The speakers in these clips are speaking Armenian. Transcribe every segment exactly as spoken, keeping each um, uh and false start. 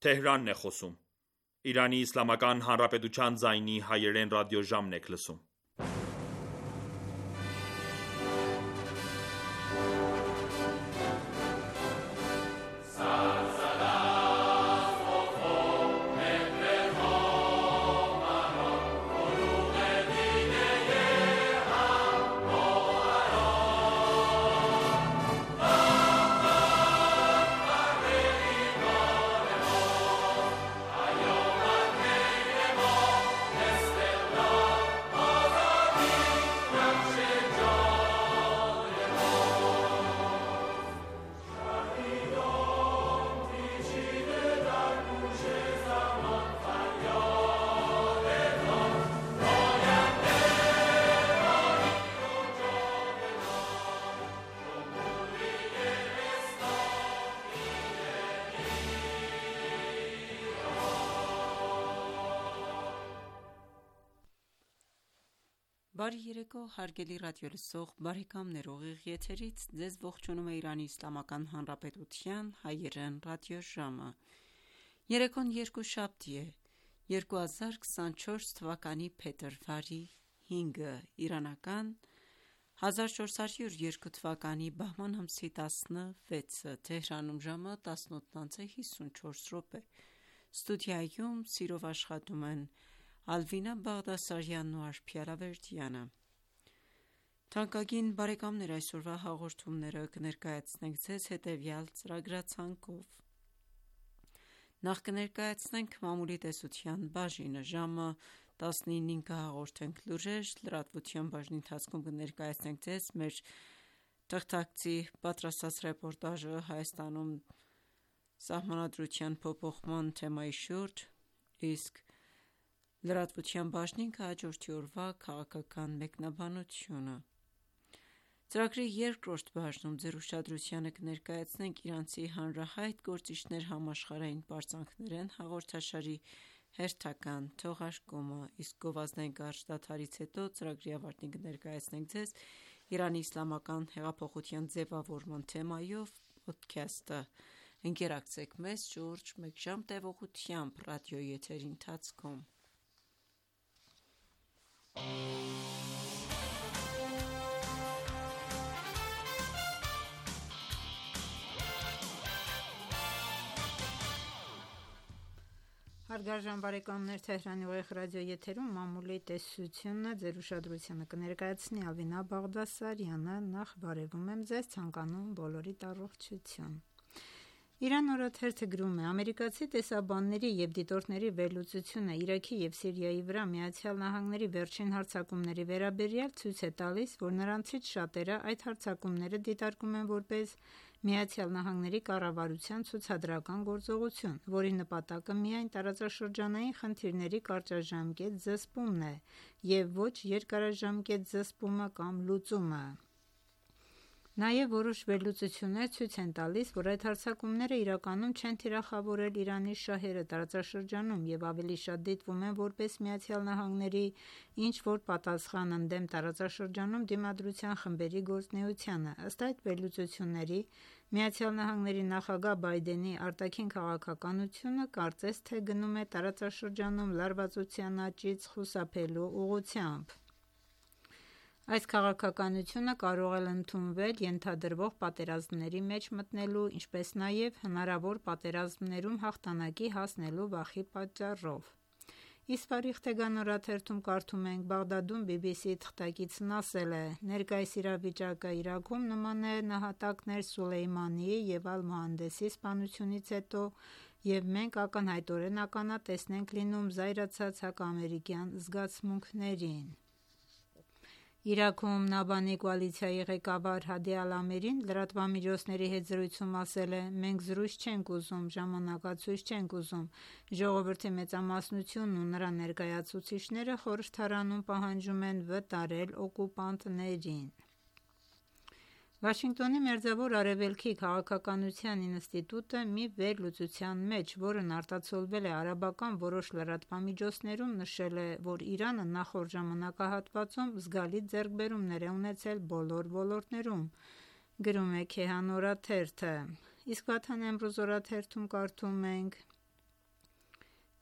Թեհրանն է խոսում։ Իրանի Իսլամական Հանրապետության ձայնի հայերեն ռադիոժամն եք լսում։ Բարի երեկո, հարգելի ռադիոլսող բարեկամներ, ուղիղ եթերից ձեզ ողջունում է Իրանի Իսլամական Հանրապետության հայերեն ռադիոժամը։ Երեկոն երկուշաբթի է, երկու հազար քսանչորս թվականի փետրվարի հինգը, իրանական հազար չորս հարյուր երկու թվականի բահման ամսի տասնվեցը, Թեհրանում ժամը տասնութ հիսունչորս րոպե։ Ստուդիայում սիրով աշխատում են Ալվինա Բաղդասարյանն ու Արփիա Լավերդյանը։ Թանկագին բարեկամներ, այսօրվա հաղորդումները կներկայացնենք ձեզ հետևյալ ծրագրացանկով։ Նախ կներկայացնենք մամուլի տեսության բաժինը, ժամը տասնինին կհաղորդենք լուրեր, լրատվության բաժնի ընթացքում կներկայացնենք ձեզ մեր թղթակցի պատրաստած ռեպորտաժը Հայաստանում սահմանադրության փոփոխման թեմայի շուրջ, իսկ լրատվության բաժնին կհաջորդի օրվա քաղաքական մեկնաբանությունը։ Ծրագրի երկրորդ բաժնում ձեր ուշադրությանը կներկայացնենք իրանցի հանրահայտ գործիչներ համաշխարհային պարծանքներ են հաղորդաշարի հերթական թողարկումը, իսկ գովազդային կարճ դադարից հետո ծրագրի ավարտին կներկայացնենք ձեզ Իրանի իսլամական հեղափոխության ձևավորման թեմայով պոդքասթը։ Ընկերակցեք մեզ շուրջ մեկ ժամ տևողությամբ ռադիոյի եթերի ընթացքում։ Հարգարժան բարեկամներ, Թեհրանի ուղիղ ռադիոյի եթերում մամուլի տեսությունը ձեր ուշադրությանը կներկայացնի Ալվինա Բաղդասարյանը։ Նախ բարևում եմ ձեզ, ցանկանում բոլորիդ առողջություն։ Իրան օրաթերթը գրում է. ամերիկացի տեսաբանների և դիտորդների վերլուծությունը Իրաքի և Սիրիայի վրա ԱՄՆ-ի վերջին հարձակումների վերաբերյալ ցույց է տալիս, որ նրանցից շատերը այդ հարձակումները դիտարկում են որպես ԱՄՆ-ի կառավարության ցուցադրական գործողություն, որի նպատակը միայն տարածաշրջանային խնդիրների կարճաժամկետ զսպումն է և ոչ երկարաժամկետ զսպումը կամ լուծումը։ Նաև որոշ վերլուծություններ ցույց են տալիս, որ այդ հարձակումները իրականում չեն թիրախավորել Իրանի շահերը տարածաշրջանում և ավելի շատ դիտվում են որպես ԱՄՆ-ի ինչ-որ պատասխան ընդդեմ տարածաշրջանում դիմադրության խմբերի գործունեությանը։ Ըստ այդ վերլուծությունների, ԱՄՆ նախագահ Բայդենի արտաքին քաղաքականությունը կարծես թե գնում է տարածաշրջանում լարվածության աճից խուսափելու ուղղությամբ։ Այս քաղաքականությունը կարող է ընդունվել ենթադրվող պատերազմների մեջ մտնելու, ինչպես նաև հնարավոր պատերազմներում հաղթանակի հասնելու վախի պատճառով։ Իսպարիխ Թեգան օրաթերթում կարդում ենք. Բաղդադում բի բի սի-ի թղթակիցն ասել է. «Ներկայիս իրավիճակը Իրաքում նման է նահատակներ Սուլեյմանիի և Ալ-Մոհանդեսի սպանությունից հետո, և մենք ակնհայտորեն ականատեսն ենք լինում զայրացած հակաամերիկյան զգացմունքներին»։ Իրաքում Նաբանի կոալիցիայի ղեկավար Հադի Ալ-Ամիրին լրատվամիջոցների հետ զրույցում ասել է. «Մենք զրույց չենք ուզում, ժամանակացույց չենք ուզում, ժողովրդի մեծամասնությունն ու նրա ներկայացուցիչները խորհրդարանում պահանջում են վտարել օկուպանտներին»։ Վաշինգտոնի Մերձավոր Արևելքի քաղաքականության ինստիտուտը մի վերլուծության մեջ, որն արտացոլվել է արաբական որոշ լրատվամիջոցներում, նշել է, որ Իրանը նախորդ ժամանակահատվածում զգալի ձեռքբերումներ է ունեցել բոլոր ոլորտներում։ Գրում է Քեհան օրաթերթը։ Իսկ Վաթան Էմրոզ օրաթերթում կարդում ենք.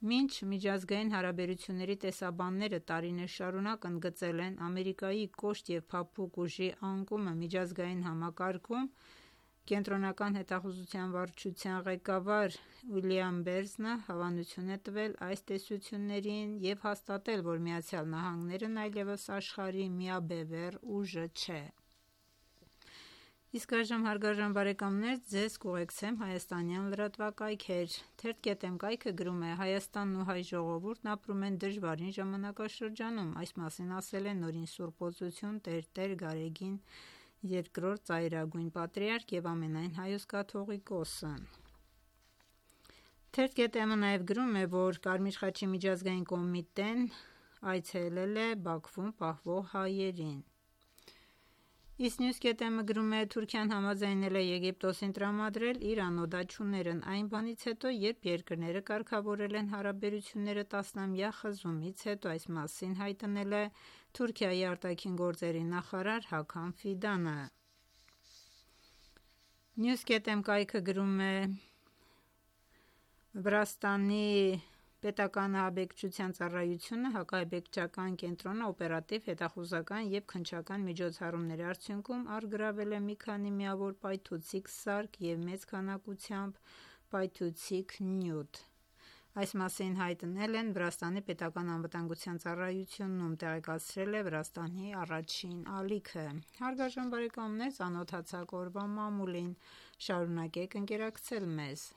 Մինչ միջազգային հարաբերությունների տեսաբանները տարիներ շարունակ ընդգծել են Ամերիկայի կոշտ և փափուկ ուժի անկումը միջազգային համակարգում, Կենտրոնական հետախուզության վարչության ղեկավար Ուիլյամ Բերնսը հավանություն է տվել այս տեսություններին և հաստատել, որ ԱՄՆ-ն այլևս աշխարհի միաբևեռ ուժը չէ: Իսկ այժմ հարգարժան բարեկամներ ձեզ կուղեկցեմ հայաստանյան լրատվակայքեր: Թերթ.am կայքը գրում է. «Հայաստանն ու հայ ժողովուրդն ապրում են դժվարին ժամանակաշրջանում»: Այս մասին ասել է նորին Սուրբ Օծություն Տեր.Տեր Գարեգին երկրորդ ծայրագույն պատրիարք և ամենայն Հայոց կաթողիկոսը: Թերթ.am-ը նաև գրում է, որ Կարմիր խաչի միջազգային կոմիտեն այցելել է Բաքվում պահվող հայերին: Իսկ News.am-ը գրում է. «Թուրքիան համաձայնել է Եգիպտոսին տրամադրել իր անօդաչուներն այն բանից հետո, երբ երկրները կարգավորել են հարաբերությունները տասնամյա խզումից հետո»: Այս մասին հայտնել է Թուրքիայի արտաքին նախարար Հաքամ Ֆիդանը: News.am կայքը գրում է. «Վրաստանի պետական ահաբեկչության ծառայությունը հակաահաբեկչական կենտրոնը օպերատիվ, հետախուզական և քննչական միջոցառումների արդյունքում առգրավել է մի քանի միավոր պայթուցիկ սարք և մեծ քանակությամբ պայթուցիկ նյութ»: Այս մասին հայտնել են Վրաստանի պետական անվտանգության ծառայությունն, ում տեղեկացրել է Վրաստանի առաջին ալիքը: Հարգարժան բարեկամներ ծանոթացաք օրվա մամուլին: Շարունակեք ընկերակցել մեզ: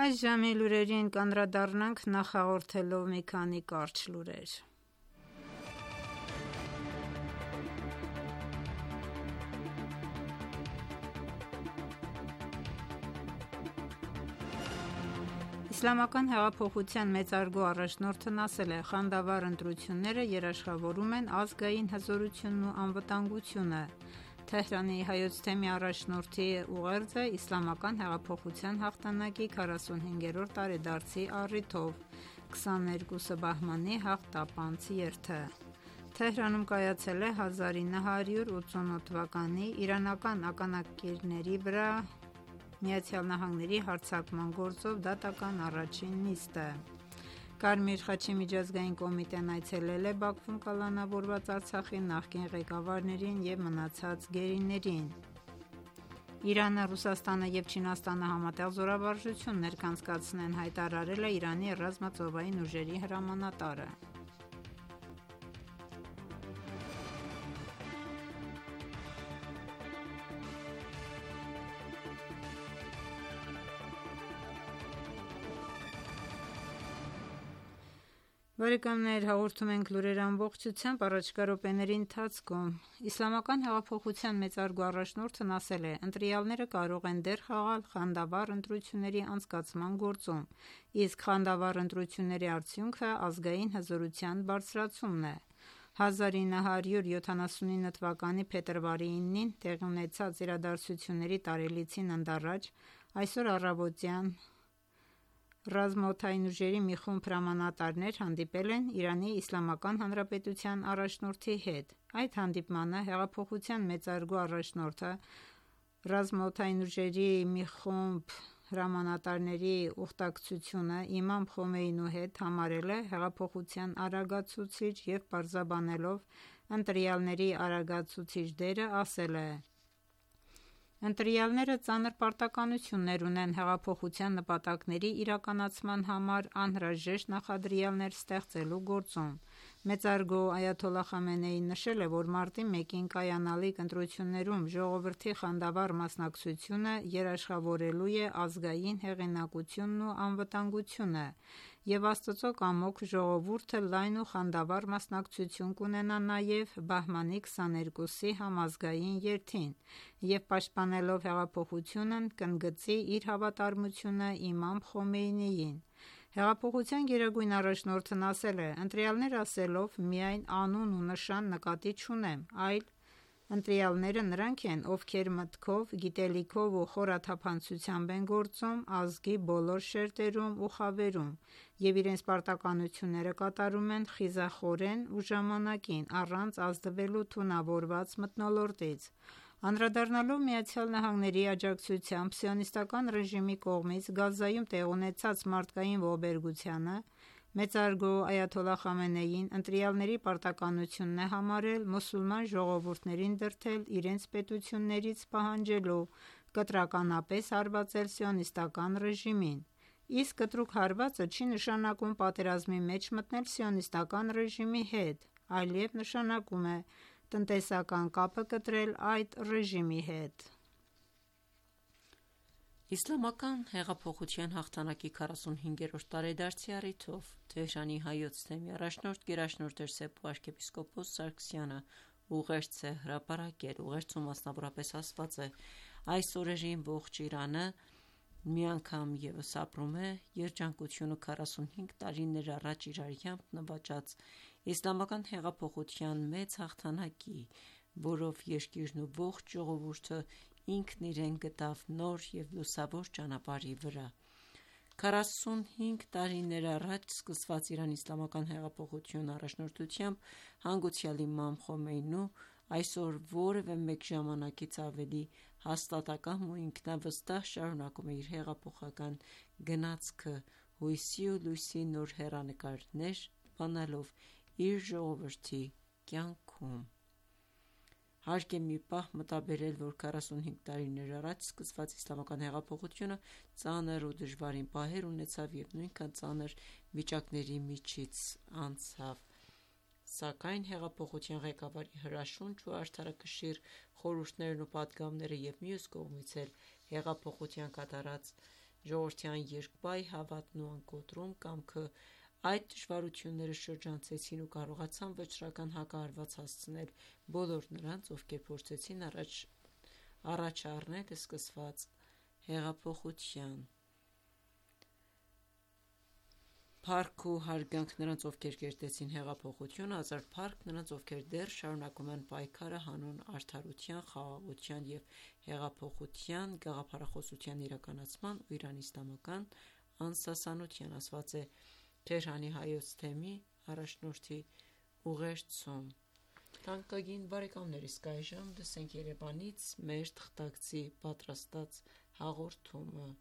Այս ժամի լուրերին կանդրադառնանք նախ հաղորդելով մի քանի կարճ լուրեր: Իսլամական հեղափոխության մեծարգո առաջնորդն ասել է. «Խանդավառ ընտրությունները երաշխավորում են ազգային հզորությունն ու անվտանգությունը»: Թեհրանի Հայոց թեմի առաջնորդի ուղերձը Իսլամական հեղափոխության հաղթանակի քառասունհինգերորդ տարեդարձի առիթով «քսաներկուսը բահմանի հաղթապանց երթը»: Թեհրանում կայացել է հազար ինը հարյուր ութսունութ թվականի իրանական ականակիրների վրա ԱՄՆ-ի հարձակման գործով դատական առաջին նիստը: Կարմիր խաչի միջազգային կոմիտեն այցելել է Բաքվում կալանավորված Արցախի նախկին ղեկավարներին և մնացած գերիներին: Իրանը, Ռուսաստանը և Չինաստանը համատեղ զորավարժություն ներկանցկացնեն, հայտարարել է Իրանի ռազմածովային ուժերի հրամանատարը: Հաղորդում ենք լուրեր ամբողջությամբ: Առաջիկա րոպեների ընթացքում Իսլամական հեղափոխության մեծարգո առաջնորդն ասել է. «Ընտրյալները կարող են դեր խաղալ խանդավառ ընտրությունների անցկացման գործում, իսկ խանդավառ ընտրությունների արդյունքը ազգային հզորության բարձրացումն է»: հազար ինը հարյուր յոթանասունինը թվականի փետրվարի ինին տեղի ունեցած իրադարձությունների տարելիցին ընդառաջ այսօր առավոտյան ռազմաօդային ուժերի մի խումբ հրամանատարներ հանդիպել են Իրանի Իսլամական Հանրապետության առաջնորդի հետ: Այդ հանդիպմանը հեղափոխության մեծարգո առաջնորդը ռազմաօդային ուժերի մի խումբ հրամանատարների ուխտակցությունը իմամ Խոմեյնու հետ համարել է հեղափոխության արագացուցիչ և պարզաբանելով ընտրյալների արագացուցիչ դերը ասել է. «Ընտրյալները ծանր պարտականություններ ունեն հեղափոխության նպատակների իրականացման համար անհրաժեշտ նախադրյալներ ստեղծելու գործում»: Մեծարգո Այաթոլլահ Խամենեին նշել է, որ մարտի մեկին կայանալիք ընտրություններում ժողովրդի խանդավառ մասնակցությունը երաշխավորելու է ազգային հեղինակությունն ու անվտանգությունը և Աստծո կամոք ժողովուրդը լայն ու խանդավառ մասնակցություն կունենա նաև բահմանի քսաներկուսի համազգային երթին և պաշտպանելով հեղափոխությունն կընդգծի իր հավատարմությունը իմամ Խոմեյնիին։ Հեղափոխության գերագույն առաջնորդն ասել է. «Ընտրյալներ ասելով միայն անուն ու նշան նկատի չունեմ, այլ ընտրյալները նրանք են, ովքեր մտքով, գիտելիքով ու խորաթափանցությամբ են գործում ազգի բոլոր շերտերում ու խավերում և իրենց պարտականությունները կատարում են խիզախորեն ու ժամանակին, առանց ազդվելու թունավորված մթնոլորտից»։ Անդրադառնալով ԱՄՆ-ի աջակցությամբ սիոնիստական ռեժիմի կողմից Գազայում տեղի ունեցած մարդկային ողբերգությանը, մեծարգո այաթոլլահ Խամենեին ընտրյալների պարտականությունն է համարել մուսուլման ժողովուրդներին դրդել իրենց պետություններից պահանջելու կտրականապես հարվածել սիոնիստական ռեժիմին։ Իսկ կտրուկ հարվածը չի նշանակում պատերազմի մեջ մտնել սիոնիստական ռեժիմի հետ, այլև նշանակում է տնտեսական կապը կտրել այդ ռեժիմի հետ։ Իսլամական հեղափոխության հաղթանակի քառասունհինգերորդ տարեդարձի առիթով Թեհրանի Հայոց թեմի առաջնորդ գերաշնորհ Սեփ arczepiskopos Սարգսյանը ուղերձ է հրապարակել։ Ուղերձում մասնավորապես ասված է. «Այս օրերին ողջ Իրանը մի անգամ ևս ապրում է երջանկությունը քառասունհինգ տարիներ առաջ իր արյամբ նվաճած իսլամական հեղափոխության մեծ հաղթանակի, որով երկիրն ու ողջ ժողովուրդը ինքն իրեն գտավ նոր և լուսավոր ճանապարհի վրա։ Քառասունհինգ տարիներ առաջ սկսված Իրանի իսլամական հեղափոխության առաջնորդությամբ հանգուցյալ իմամ Խոմեյնու այսօր որևէ մեկ ժամանակից ավելի հաստատակամ ու ինքնավստահ շարունակում է իր հեղափոխական գնացքը հույսի ու լույսի նոր հեռանկարներ բանալով իր ժողովրդի կյանքում։ Հարկ է մի պահ մտաբերել, որ քառասունհինգ տարիներ առաջ սկսված իսլամական հեղափոխությունը ծանր ու դժվարին պահեր ունեցավ և նույնքան ծանր վիճակների միջից անցավ, սակայն հեղափոխության ղեկավարի հրաշունչ ու արդարակշիռ խորհուրդներն ու պատգամները և մյուս կողմից էլ հեղափոխության կատարած ժողովրդյան երկբայ հավատն ու անկոտրում կամքը այդ դժվարությունները շրջանցեցին ու կարողացան վճռական հակահարված հասցնել բոլոր նրանց, ովքեր փորձեցին առաջ առնել սկսված հեղափոխության։ Փառք ու հարգանք նրանց, ովքեր կերտեցին հեղափոխությունը, հազար փառք նրանց, ովքեր դեռ շարունակում են պայքարը հանուն արդարության, խաղաղության և հեղափոխության գաղափարախոսության իրականացման ու Իրանի իսլամական անսասանության, ասված է Թեհրանի Հայոց թեմի առաջնորդի ուղերձում։ Թանկագին բարեկամներ, իսկ այժմ լսենք Երևանից մեր թղթակցի պատրաստած հաղորդումը։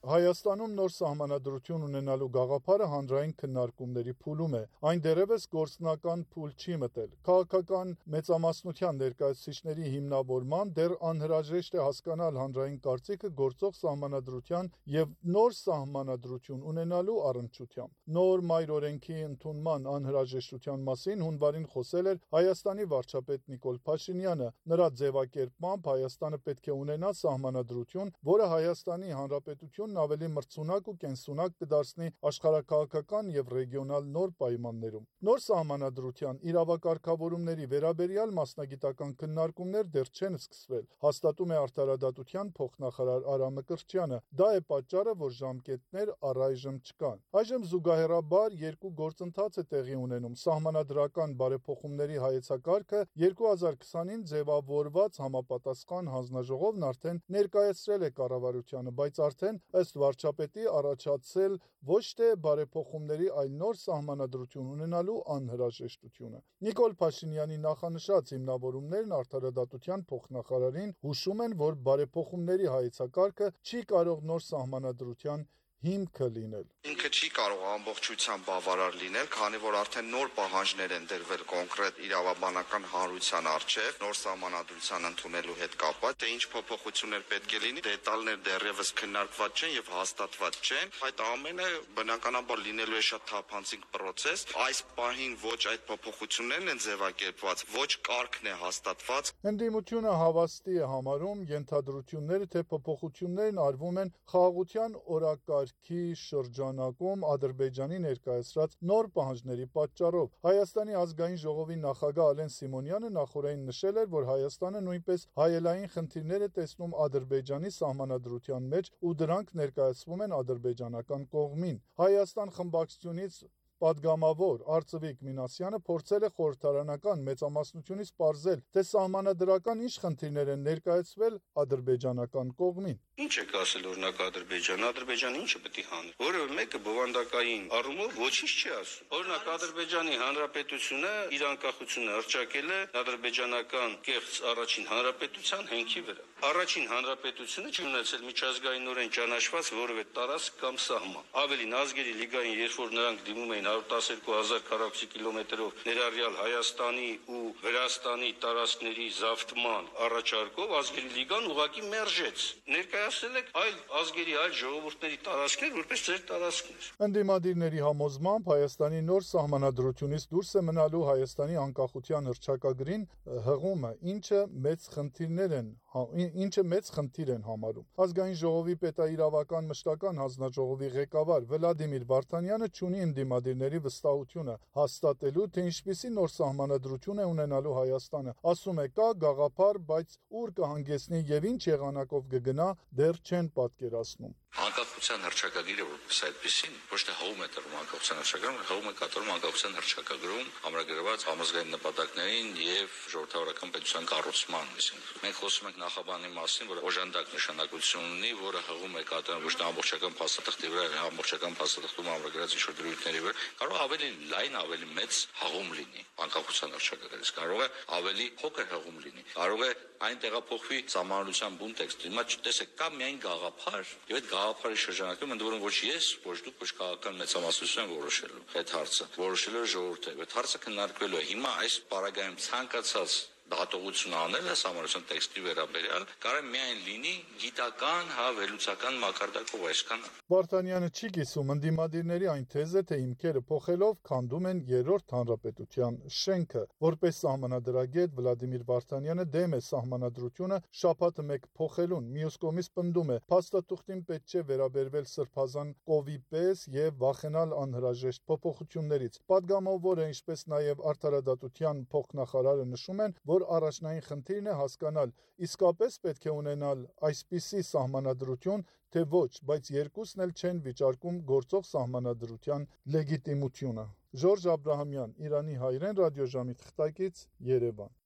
Հայաստանում նոր սահմանադրություն ունենալու գաղափարը հանրային քննարկումների փուլում է։ Այն դեռևս գործնական փուլ չի մտել։ Քաղաքական մեծամասնության ներկայացուցիչների հիմնավորման դեռ անհրաժեշտ է հասկանալ հանրային կարծիքը գործող սահմանադրության և նոր սահմանադրություն ունենալու առնչությամբ։ Նոր մայր օրենքի ընդունման անհրաժեշտության մասին հունվարին խոսել էր Հայաստանի վարչապետ Նիկոլ Փաշինյանը։ Նրա ձևակերպմամբ Հայաստանը պետք է ունենա սահմանադրություն, որը Հայաստանի Հանրապետությունն ավելի մրցունակ ու կենսունակ կդարձնի աշխարհաքաղաքական և ռեգիոնալ նոր պայմաններում։ Նոր սահմանադրության իրավակարգավորումների վերաբերյալ մասնագիտական քննարկումներ դեռ չեն սկսվել, հաստատում է Արդարադատության փոխնախարար Արա Մկրտչյանը։ Դա է պատճառը, որ ժամկետներ առայժմ չկան։ Այժմ զուգահեռաբար երկու գործընթաց է տեղի ունենում։ Սահմանադրական բարեփոխումների հայեցակարգը երկու հազար քսանին ձևավորված համապատասխան հանձնաժողովն արդեն ներկայացրել է կառավարությանը, բայց արդեն ըստ վարչապետի առաջացել ոչ թե բարեփոխումների, այլ նոր սահմանադրություն ունենալու անհրաժեշտությունը։ Նիկոլ Փաշինյանի նախանշած հիմնավորումներն Արդարադատության փոխնախարարին հուշում են, որ բարեփոխումների հայեցակարգը չի կարող նոր սահմանադրության հիմքը լինել։ Ինքը չի կարող ամբողջությամբ բավարար լինել, քանի որ արդեն նոր պահանջներ են դրվել կոնկրետ իրավաբանական հանրության առջև, նոր սահմանադրության ընդունելու հետ կապված, թե ինչ փոփոխություններ պետք է լինի, դետալներ դեռևս քննարկված չեն եւ հաստատված չեն։ Այդ ամենը բնականաբար լինելու է շատ թափանցիկ process։ Այս պահին ոչ այդ փոփոխություններն են ձևակերպված, ոչ կարգն է հաստատված։ Ընդդիմությունը հավաստի է համարում ենթադրությունները, թե փոփոխություններն արվում են խաղաղության օրակարգի շրջանակում Ադրբեջանի ներկայացրած նոր պահանջների պատճառով։ Հայաստանի ազգային ժողովի նախագահ Ալեն Սիմոնյանը նախորդին նշել էր, որ Հայաստանը նույնպես հայելային խնդիրներ է տեսնում Ադրբեջանի սահմանադրության մեջ ու դրանք ներկայացվում են ադրբեջանական կողմին։ Հայաստան խմբակցությունից Պատգամավոր Արծվիկ Մինասյանը փորձել է խորհրդարանական մեծամասնությունից պարզել, թե սահմանադրական ինչ խնդիրներ են ներկայացվել ադրբեջանական կողմին։ Ինչ եք ասել օրինակ Ադրբեջանը, Ադրբեջանը ինչը պետք է հանի։ Որևէ մեկը բովանդակային առումով ոչինչ չի ասում։ Օրինակ Ադրբեջանի Հանրապետությունը իր անկախությունը հռչակել է ադրբեջանական կեղծ առաջին հանրապետության հենքի վրա։ Առաջին հանրապետությունը չի ունեցել միջազգայինորեն ճանաչված որևէ տարածք կամ սահման։ Ավելին ազգերի լիգային, երբ որ նրանք դիմում էին հարյուր տասներկու հազար քառակուսի կիլոմետրով ներառյալ Հայաստանի ու Վրաստանի տարածքների զավթման առաջարկով, ազգերի լիգան ուղղակի մերժեց։ Ներկայացրել եք այլ ազգերի, այլ ժողովուրդների տարածքներ որպես ձեր տարածքներ։ Ընդդիմադիրների համոզմամբ Հայաստանի նոր սահմանադրությունից դուրս է մնալու Հայաստանի անկախության հռչակագրին հղումը, ինչը մեծ խնդիրներ են ինչը մեծ խնդիր են համարում։ Ազգային ժողովի պետաիրավական մշտական հանձնաժողովի ղեկավար Վլադիմիր Վարդանյանը չունի ընդդիմադիրների վստահությունը հաստատելու, թե ինչպիսի նոր սահմանադրություն է ունենալու Հայաստանը։ Ասում է, կա գաղափար, բայց ուր կհանգեցնի եւ ինչ եղանակով կգնա, դեռ չեն պատկերացնում։ Անկախության հռչակագիրը որպես այդպեսին ոչ թե հողում է տրվում անկախության հռչակագրում, հողում է կատարում անկախության հռչակագրում ամրագրված համազգային նպատակներին եւ ժողովրդավարական պետության կառուցման մասին։ Մենք խոսում ենք նախաբանի մասին, որը օժանդակ նշանակություն ունի, որը հողում է կատարում ոչ թե ամբողջական փաստաթղթի վրա, այլ ամբողջական փաստաթղթում ամրագրած ինչ-որ դրույթների վրա, կարող ավելի լայն, ավելի մեծ հողում լինի անկախության հռչակագրից, կարող է ավելի փոքր հողում լինի, կարող է այն տեղափոխվի սահմանադրության բուն տեքստը։ Հիմա տեսեք, կա միայն գաղափար, եւ այդ գաղափարի շրջանակում ընդ որում ոչ ես, ոչ դուք, ոչ քաղաքական մեծամասնություն որոշելու այդ հարցը, որոշելու է ժողովուրդը։ Այդ հարցը քննարկվելու է։ Հիմա այս պարագայում ցանկացած դատողություն անելը սահմանադրության տեքստի վերաբերյալ կարող է միայն լինի գիտական, հա, վերլուծական մակարդակով, այսքանը։ Վարդանյանը չի կիսում ընդդիմադիրների այն թեզը, թե հիմքերը փոխելով քանդում են երրորդ հանրապետության շենքը։ Որպես սահմանադրագետ Վլադիմիր Վարդանյանը դեմ է սահմանադրությունը շաբաթը մեկ փոխելուն։ Մյուս կողմից պնդում է, փաստաթուղթին պետք չէ վերաբերվել սրբազան կովի պես եւ վախենալ անհրաժեշտ փոփոխություններից։ Պատգամավորը, ինչպես նաեւ արդարադատության փոխնախարարը նշում են, որ առաջնային խնդիրն է հասկանալ, իսկապես պետք է ունենալ այսպիսի սահմանադրություն, թե ոչ, բայց երկուսն էլ չեն վիճարկում գործող սահմանադրության լեգիտիմությունը։ Ժորժ Աբրահամյան, Իրանի հայրեն ռադիոժամի թղթակից, Երևան։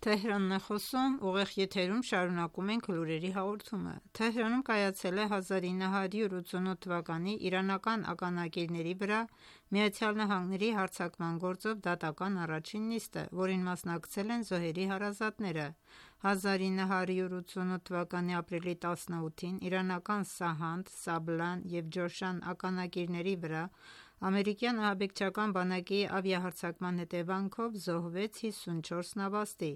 Թեհրանն է խոսում, ուղիղ եթերում շարունակում ենք լուրերի հաղորդումը։ Թեհրանում կայացել է հազար ինը հարյուր ութսունութ թվականի իրանական ականագիրների վրա Միացյալ Նահանգների հարձակման գործով դատական առաջին նիստը, որին մասնակցել են զոհերի հարազատները։ հազար ինը հարյուր ութսունութ թվականի ապրիլի տասնութին իրանական Սահանդ, Սաբլան և Ջոշան ականագիրների վրա ամերիկյան ահաբեկչական բանակի ավիահարձակման հետևանքով զոհվեց հիսունչորս նավաստի։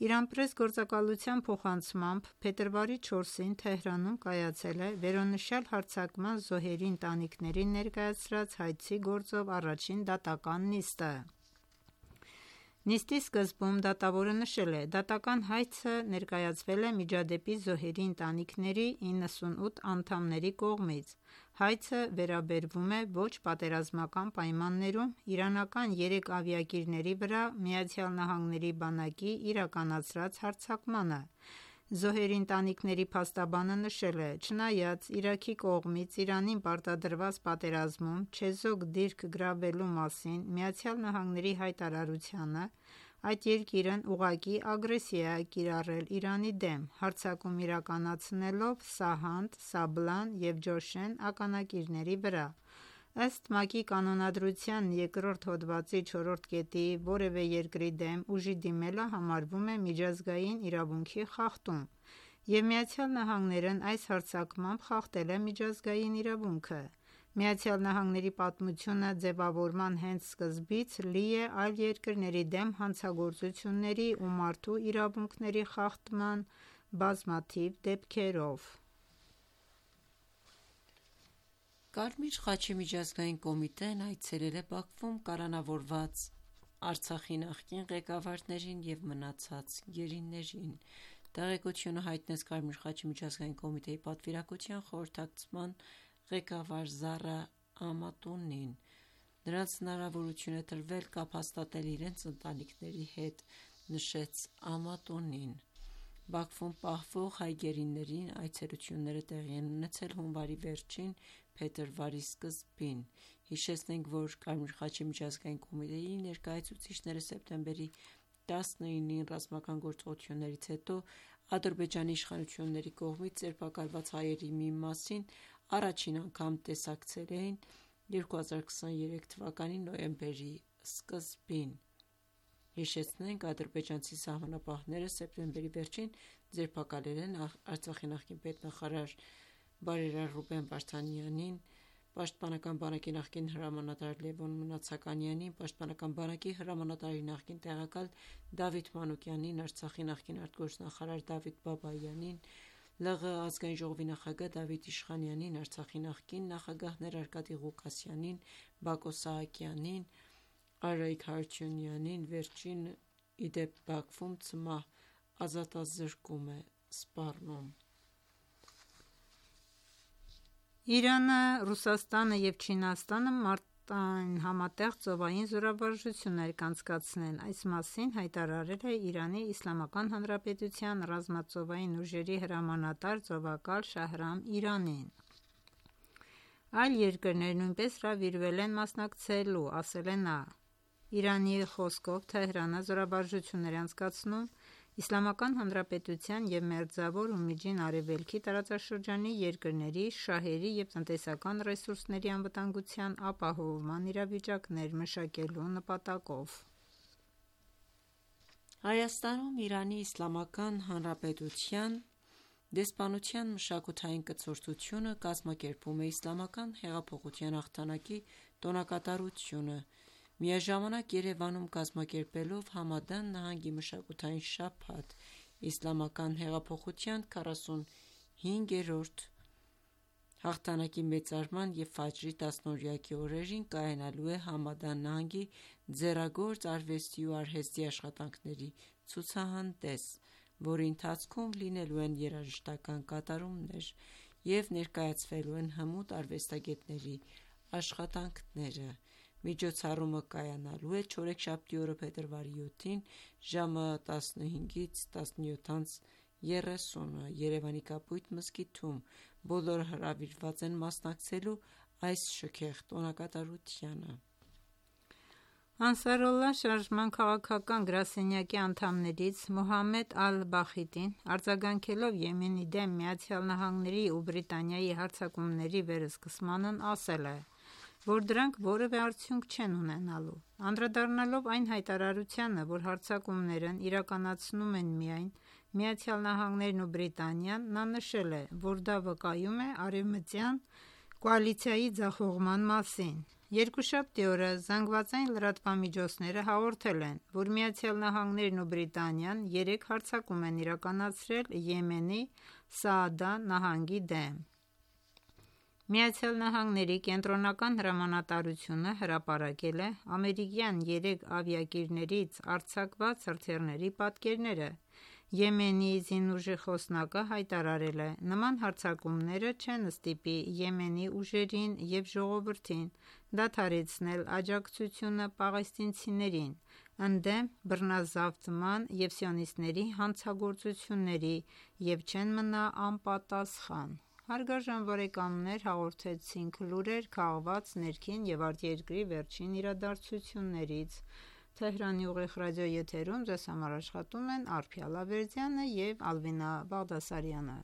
Իրանպրես գործակալության փոխանցմամբ փետրվարի չորսին Թեհրանում կայացել է վերոնշյալ հարձակման զոհերի ընտանիքներին ներկայացրած հայցի գործով առաջին դատական նիստը։ Նիստի սկզբում դատավորը նշել է, դատական հայցը ներկայացվել է միջադեպի զոհերի ընտանիքների իննսունութ անդամների կողմից։ Հայցը վերաբերվում է ոչ պատերազմական պայմաններում իրանական երեք ավիակիրների վրա Միացյալ Նահանգների բանակի իրականացրած հարձակմանը։ Զոհերի ընտանիքների փաստաբանը նշել է, չնայած Իրաքի կողմից Իրանին պարտադրված պատերազմում չեզոք դիրք գրավելու մասին Միացյալ Նահանգների հայտարարությանը, այդ երկիրն ուղղակի ագրեսիա է կիրառել Իրանի դեմ, հարձակում իրականացնելով Սահանդ, Սաբլան և Ջոշեն ականակիրների վրա։ Ըստ ՄԱԿ-ի կանոնադրության երկրորդ հոդվածի չորրորդ կետի որևէ երկրի դեմ ուժի դիմելը համարվում է միջազգային իրավունքի խախտում, և Միացյալ Նահանգներն այս հարձակմամբ խախտել է միջազգային իրավունքը։ ԱՄՆ-ի պատմությունը ձևավորման հենց սկզբից լի է այլ երկրների դեմ հանցագործությունների ու մարդու իրավունքների խախտման բազմաթիվ դեպքերով։ Կարմիր խաչի միջազգային կոմիտեն այցելել է Բաքվում կալանավորված Արցախի նախկին ղեկավարներին և մնացած գերիներին։ Տեղեկությունը հայտնեց Կարմիր խաչի միջազգային կոմիտեի պատվիրակության խորհրդակցման ղեկավար Զարա Ամատունին։ Նրանց հնարավորություն է տրվել կապ հաստատել իրենց ընտանիքների հետ, նշեց Ամատունին։ Բաքվում պահվող հայ գերիներին այցելությունները տեղի են ունեցել հունվարի վերջին, փետրվարի սկզբին։ Հիշեցնենք, որ Կարմիր խաչի միջազգային կոմիտեի ներկայացուցիչները սեպտեմբերի տասնինին ռազմական գործողություններից հետո Ադրբեջանի իշխանությունների կողմից ձերբակալված հայերի մի մասին առաջին անգամ տեսակցել էին երկու հազար քսաներեք թվականի նոյեմբերի սկզբին։ Հիշեցնենք, ադրբեջանցի սահմանապահները սեպտեմբերի վերջին ձերբակալել են Արցախի նախկին պետնախարար բարերար Ռուբեն Վարդանյանին, Պաշտպանական բանակի նախկին հրամանատար Լևոն Մնացականյանին, Պաշտպանական բանակի հրամանատարի նախկին տեղակալ Դավիթ Մանուկյանին, Արցախի նախկին արտգործնախարար Դավիթ Բաբայանին, ԼՂ Ազգային ժողովի նախագահ Դավիթ Իշխանյանին, Արցախի նախկին նախագահներ Արկադի Ղուկասյանին, Բակո Սահակյանին, Արայիկ Հարությունյանին։ Վերջին ի դեպ Բաքվում ցմահ ազատազրկում է սպառնում։ Իրանը, Ռուսաստանը և Չինաստանը մարտին համատեղ ծովային զորավարժություններ կանցկացնեն։ Այս մասին հայտարարել է Իրանի Իսլամական Հանրապետության ռազմածովային ուժերի հրամանատար ծովակալ Շահրամ Իրանին։ Այլ երկրներ նույնպես հրավիրվել են մասնակցելու, ասել է նա։ Իրանի խոսքով Թեհրանը զորավարժություններ է անցկացնում Իսլամական Հանրապետության և Մերձավոր ու Միջին Արևելքի տարածաշրջանի երկրների, շահերի և տնտեսական ռեսուրսների անվտանգության ապահովման իրավիճակներ մշակելու նպատակով։ Հայաստանում Իրանի Իսլամական Հանրապետության դեսպանության մշակութային կցորդությունը կազմակերպում է Իսլամական հեղափոխության հաղթանակի տոնակատարությունը, միաժամանակ Երևանում կազմակերպելով Համադան նահանգի մշակութային շաբաթ։ Իսլամական հեղափոխության քառասունհինգերորդ հաղթանակի մեծարման և Ֆաջրի տասնօրյակի օրերին կայանալու է Համադան նահանգի ձեռագործ արվեստի ու արհեստի աշխատանքների ցուցահանդես, որի ընթացքում լինելու են երաժշտական կատարումներ և ներկայացվելու են հմուտ արվեստագետների աշխատանքները։ Միջոցառումը կայանալու է չորեքշաբթի օրը փետրվարի յոթին ժամը տասնհինգից տասնյոթ երեսուն Երևանի Կապույտ մզկիթում։ Բոլորը հրավիրված են մասնակցելու այս շքեղ տոնակատարությանը։ Անսարալլահ շարժման քաղաքական գրասենյակի անդամներից Մոհամմեդ Ալ-Բախիտին արձագանքելով Եմենի դեմ ԱՄՆ-ի ու Բրիտանիայի հարձակումների վերսկսմանն ասել է, որ դրանք որևէ արդյունք չեն ունենալու։ Անդրադառնալով այն հայտարարությանը, որ հարձակումներն իրականացնում են միայն Միացյալ Նահանգներն ու Բրիտանիան, նա նշել է, որ դա վկայում է արևմտյան կոալիցիայի ձախողման մասին։ Երկուշաբթի օրը ԶԼՄ-ները հաղորդել են, որ Միացյալ Նահանգներն ու Բրիտանիան երեք հարձակում են իրականացրել Եմենի Սաադա նահանգի դեմ։ ԱՄՆ կենտրոնական հրամանատարությունը հրապարակել է ամերիկյան երեք ավիակիրներից արձակված հրթիռների պատկերները։ Եմենի ԶԻՆ խոսնակը հայտարարել է. «Նման հարձակումները չեն ստիպի Եմենի ուժերին և ժողովրդին դադարեցնել աջակցությունը պաղեստինցիներին, ընդդեմ բռնազավթման և սիոնիստների հանցագործությունների և չեն մնա անպատասխան»։ Հարգարժան բարեկամներ, հաղորդեցինք լուրեր քաղված ներքին և արտերկրի վերջին իրադարձություններից։ Թեհրանի ուղիղ ռադիոեթերում ձեզ համար աշխատում են Արփիա Լավերդյանը և Ալվինա Բաղդասարյանը։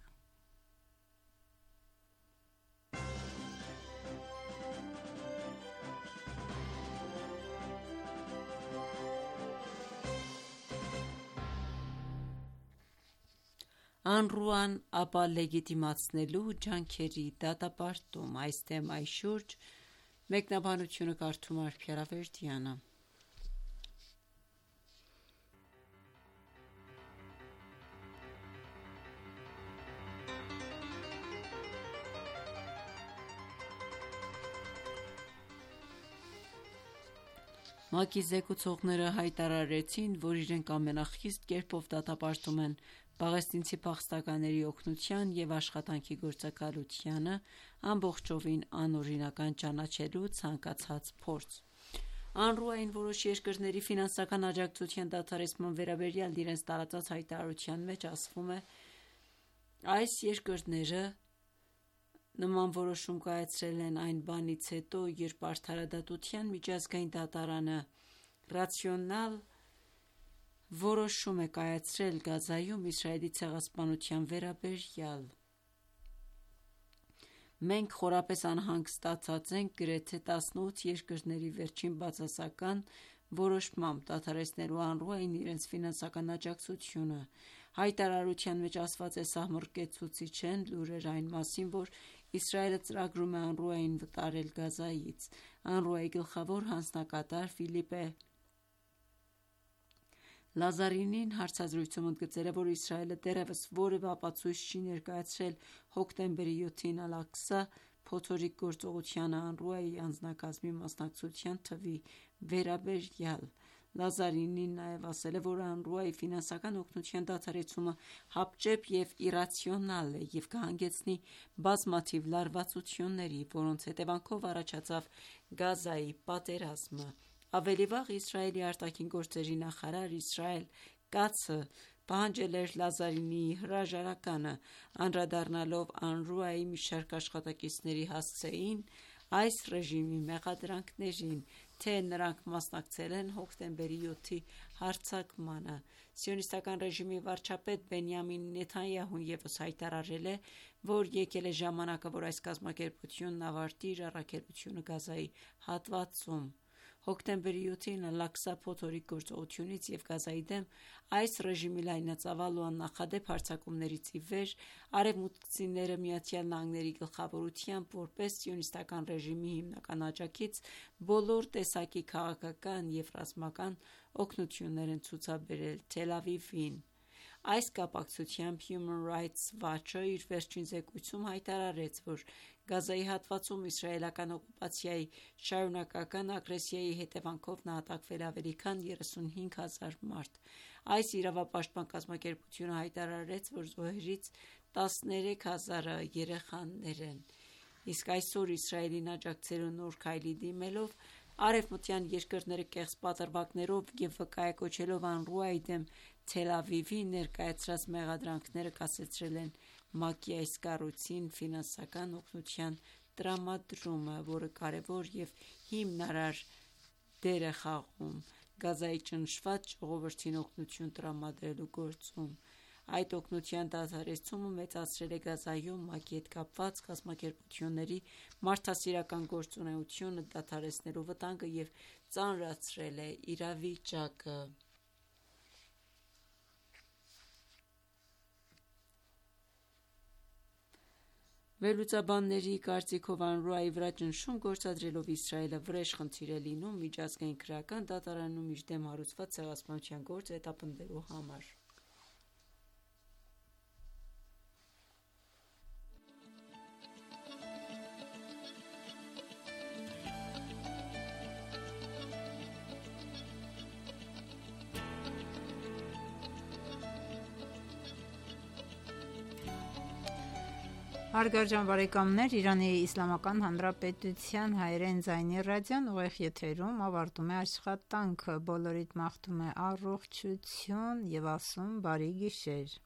ԱՆՌՈՒ-ան ապա լեգիտիմացնելու ջանքերի դատապարտում։ Այս թեմայի շուրջ մեկնաբանությունը կարդում է Ալփիարավերդյանը։ ՄԱԿ-ի զեկուցողները հայտարարեցին, որ իրենք ամենախիստ կերպով դատապարտում են պաղեստինցի փախստականների օգնության և աշխատանքի գործակալությանը ամբողջովին անօրինական ճանաչելու ցանկացած փորձ։ ԱՆՌՈՒ-ին որոշ երկրների ֆինանսական աջակցության դադարեցման վերաբերյալ իրենց տարածած հայտարարության մեջ ասվում է. «Այս երկրները նման որոշում կայացրել են այն բանից հետո, երբ Արդարադատության միջազգային դատարանը ռացիոնալ որոշում է կայացրել Գազայում Իսրայելի ցեղասպանության վերաբերյալ։ Մենք խորապես անհանգստացած ենք գրեթե տասնութ երկրների վերջին բացասական որոշմամբ դադարեցնելու ԱՆՌՈՒ-ին իրենց ֆինանսական աջակցությունը։ Հայտարարության մեջ ասված է. «Սահմռկեցուցիչ են լուրեր այն մասին, որ Իսրայելը ծրագրում է ԱՆՌՈՒ-ին վտարել Գազայից»։ ԱՆՌՈՒ-ի գլխավոր հանձնակատար Ֆիլիպե Լազարինին հարցազրույցում ընդգծել է, որ Իսրայելը դեռևս որևէ ապացույց չի ներկայացրել հոկտեմբերի յոթին Ալ-Աղսա փոթորիկ գործողությանը ԱՆՌՈՒ-ի անձնակազմի մասնակցության թվի վերաբերյալ։ Լազարինին նաև ասել է, որ ԱՆՌՈՒ-ի ֆինանսական օգնության դադարեցումը հապճեպ և իռացիոնալ է և կհանգեցնի բազմաթիվ լարվածությունների, որոնց հետևանքով առաջացավ Գազայի պատերազմը։ Ավելի վաղ Իսրայելի արտաքին գործերի նախարար Իսրայել Կացը պահանջել էր Լազարինիի հրաժարականը, անդրադառնալով ԱՆՌՈՒ-ի մի շարք աշխատակիցների հասցեին այս ռեժիմի մեղադրանքներին, թե նրանք մասնակցել են հոկտեմբերի յոթի հարձակմանը։ Սիոնիստական ռեժիմի վարչապետ Բենյամին Նեթանյահուն ևս հայտարարել է, որ եկել է ժամանակը, որ այս կազմակերպությունն ավարտի իր առաքելությունը Գազայի հատվածում։ Հոկտեմբերի յոթին Ալ-Աղսա փոթորիկ գործողությունից և Գազայի դեմ այս ռեժիմի լայնածավալ ու աննախադեպ հարձակումներից ի վեր արևմուտքցիները ԱՄՆ-ի գլխավորությամբ որպես սիոնիստական ռեժիմի հիմնական աջակից բոլոր տեսակի քաղաքական և ռազմական օգնություններ են ցուցաբերել Թել Ավիվին։ Այս կապակցությամբ Human Rights Watch-ը իր վերջին զեկույցում հայտարարեց, որ Գազայի հատվածում իսրայելական օկուպացիայի շարունակական ագրեսիայի հետևանքով նահատակվել է ավելի քան երեսունհինգ հազար մարդ։ Այս իրավապաշտպան կազմակերպությունը հայտարարեց, որ զոհերից տասներեք հազարը երեխաներ են։ Իսկ այսօր Իսրայելին աջակցելու նոր քայլի դիմելով արևմտյան երկրները կեղծ պատրվակներով և վկայակոչելով ԱՆՌՈՒ-ի դեմ Թել Ավիվի ներկայացրած մեղադրանքները կասեցրել են ՄԱԿ-ի այս կառույցին ֆինանսական օգնության տրամադրումը, որը կարևոր և հիմնարար դեր է խաղում Գազայի ճնշված ժողովրդին օգնություն տրամադրելու գործում։ Այդ օգնության դադարեցումը մեծացրել է Գազայում ՄԱԿ-ի հետ կապված կազմակերպությունների մարդասիրական գործունեությունը դադարեցնելու վտանգը և ծանրացրել է իրավիճակը։ Վերլուծաբանների կարծիքով ԱՆՌՈՒ-ի վրա ճնշում գործադրելով Իսրայելը վրեժ խնդիր է լինում միջազգային քրեական դատարանում իր դեմ հարուցված ցեղասպանության գործը հետապնդելու համար։ Հարգարժան բարեկամներ, Իրանի Իսլամական Հանրապետության հայերեն ձայնի ռադիոն ուղիղ եթերում ավարտում է աշխատանքը։ Բոլորիդ մաղթում է առողջություն և ասում բարի գիշեր։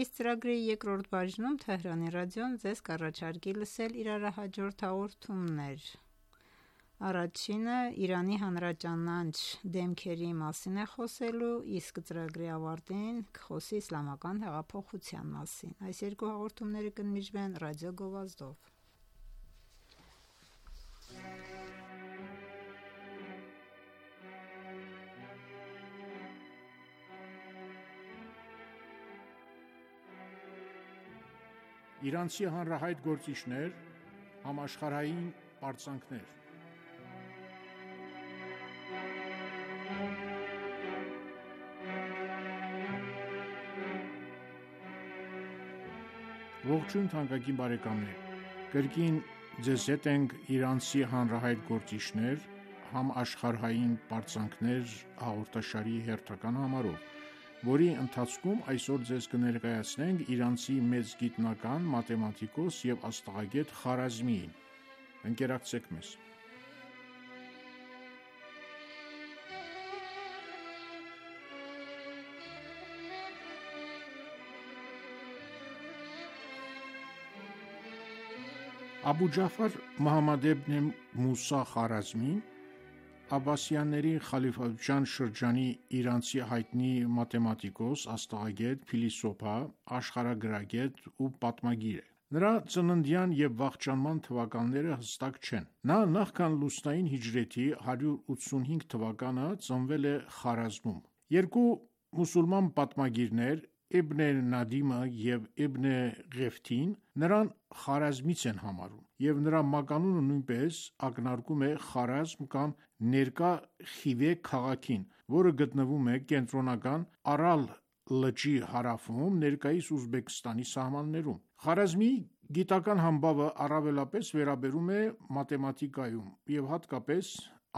Իսկ ծրագրի երկրորդ բաժնում Թեհրանի ռադիոն ձեզ կառաջարկի լսել իրարահաջորդ հաղորդումներ։ Առաջինը Իրանի հանրաճանաչ դեմքերի մասին է խոսելու, իսկ ծրագրի ավարտին կխոսի իսլամական հեղափոխության մասին։ Այս երկու հաղորդումները կընդմիջվեն ռադիո գովազդով։ Իրանցի հանրահայտ գործիչներ, համաշխարհային պարծանքներ։ Ողջույն թանկագին բարեկամներ, կրկին ձեզ հետ ենք իրանցի հանրահայտ գործիչներ, համաշխարհային պարծանքներ հաղորդաշարի հերթական համարով, որի ընթացքում այսօր ձեզ կներկայացնենք իրանցի մեծ գիտնական, մաթեմատիկոս և աստղագետ Խարազմիին։ Ընկերակցեք մեզ։ Աբու Ջաֆար Մոհամմադ իբն Մուսա Խարազմին Աբբասյանների խալիֆայության շրջանի իրանցի հայտնի մաթեմատիկոս, աստղագետ, փիլիսոփա, աշխարհագրագետ ու պատմագիր է։ Նրա ծննդյան և վախճանման թվականները հստակ չեն։ Նա նախքան լուսնային հիջրեթի հարյուր ութսունհինգ թվականը ծնվել է Խարազմում։ Երկու մուսուլման պատմագիրներ՝ Իբն Նադիմը և Իբն Ղեֆթին նրան Խարազմից են համարում, և նրա մականունը նույնպես ակնարկում է Խարազմ կամ ներկա Խիվե քաղաքին, որը գտնվում է կենտրոնական Արալ լճի հարավում, ներկայիս Ուզբեկստանի սահմաններում։ Խարազմիի գիտական համբավը առավելապես վերաբերում է մաթեմատիկայում և հատկապես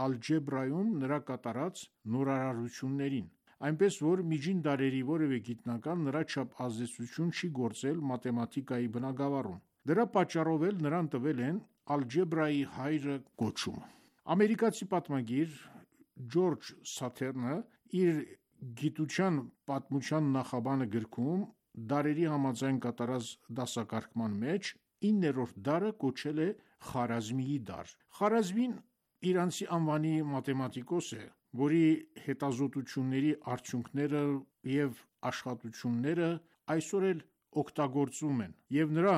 ալջեբրայում նրա կատարած նորարարություններին, այնպես որ միջին դարերի որևէ գիտնական նրա չափ ազդեցություն չի գործել մաթեմատիկայի բնագավառում։ Դրա պատճառով էլ նրան տվել են ալջեբրայի հայրը կոչումը։ Ամերիկացի պատմագիր Ջորջ Սաթերնը իր «Գիտության պատմության նախաբանը» գրքում դարերի համաձայն կատարած դասակարգման մեջ իններորդ դարը կոչել է Խարազմիի դար։ Խարազմին իրանցի անվանի մաթեմատիկոս է, որի հետազոտությունների արդյունքները և աշխատությունները այսօր էլ օգտագործվում են, և նրա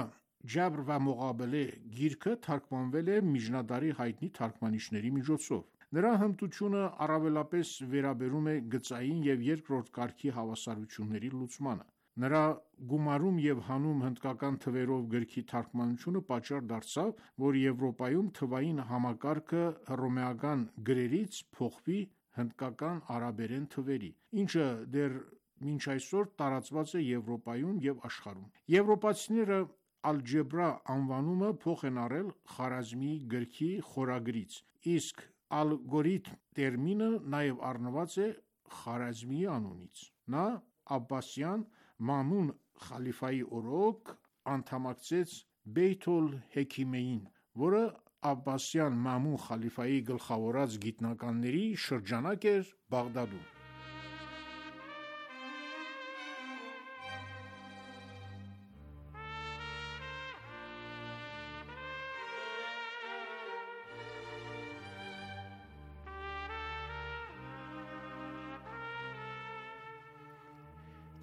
«Ջաբր վը Մողաբելե» գիրքը թարգմանվել է միջնադարի հայտնի թարգմանիչների միջոցով։ Նրա հմտությունը առավելապես վերաբերում է գծային և երկրորդ կարգի հավասարությունների լուծմանը։ Նրա «Գումարում և հանում հնդկական թվերով» գրքի թարգմանությունը պատճառ դարձավ, որ Եվրոպայում թվային համակարգը հռոմեական գրերից փոխվի հնդկական արաբերեն թվերի, ինչը դեռ մինչ այսօր տարածված է Եվրոպայում և աշխարհում։ Եվրոպացիները ալջեբրա անվանումը փոխ են առել Խարազմիի գրքի խորագրից, իսկ ալգորիթմ տերմինը նաև առնված է Խարազմիի անունից։ Նա Աբբասյան Մաամուն խալիֆայի օրոք անդամակցեց Բեյթ ալ-Հեքիմեյին, որը Աբբասյան Մաամուն խալիֆայի գլխավորած գիտնականների շրջանակ էր Բաղդադում։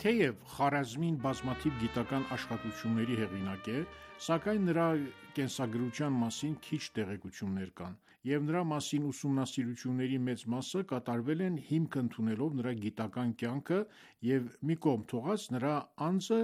Թեև Խարազմին բազմաթիվ գիտական աշխատությունների հեղինակ է, սակայն նրա կենսագրության մասին քիչ տեղեկություններ կան, և նրա մասին ուսումնասիրությունների մեծ մասը կատարվել են հիմք ընդունելով նրա գիտական կյանքը և մի կողմ թողած նրա անձը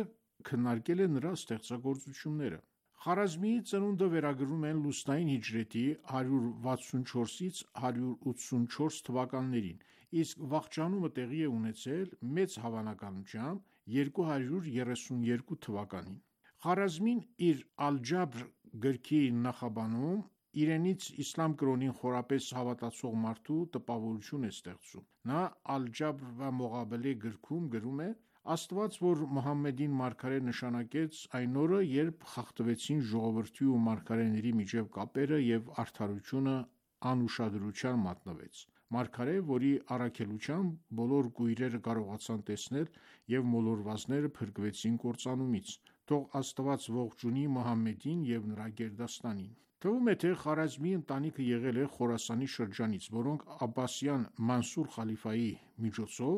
քննարկել է նրա ստեղծագործությունները։ Խարազմիի ծնունդը վերագրում են լուսնային հիջրեթի հարյուր վաթսունչորսից հարյուր ութսունչորս թվականներին, իսկ վախճանումը տեղի է ունեցել մեծ հավանականությամբ երկու հարյուր երեսունյոթ թվականին։ Խարազմին իր «Ալ-Ջաբր» գրքի նախաբանում իրենից իսլամ կրոնին խորապես հավատացող մարդու տպավորություն է ստեղծում։ Նա «Ալ-Ջաբր վը Մողաբելե» գրքում գրում է. «Աստված, որ Մուհամմեդին մարգարե նշանակեց այն օրը, երբ խախտվեցին ժողովրդի ու մարգարեների միջև կապերը և արդարությունը անուշադրության մատնվեց։ Մարգարե, որի առաքելությամբ բոլոր կույրերը կարողացան տեսնել և մոլորվածները փրկվեցին կործանումից։ Թող Աստված ողջունի Մուհամմեդին և նրա գերդաստանին»։ Թվում է, թե Խարազմիի ընտանիքը եղել է Խորասանի շրջանից, որոնք Աբբասյան Մանսուր խալիֆայի միջոցով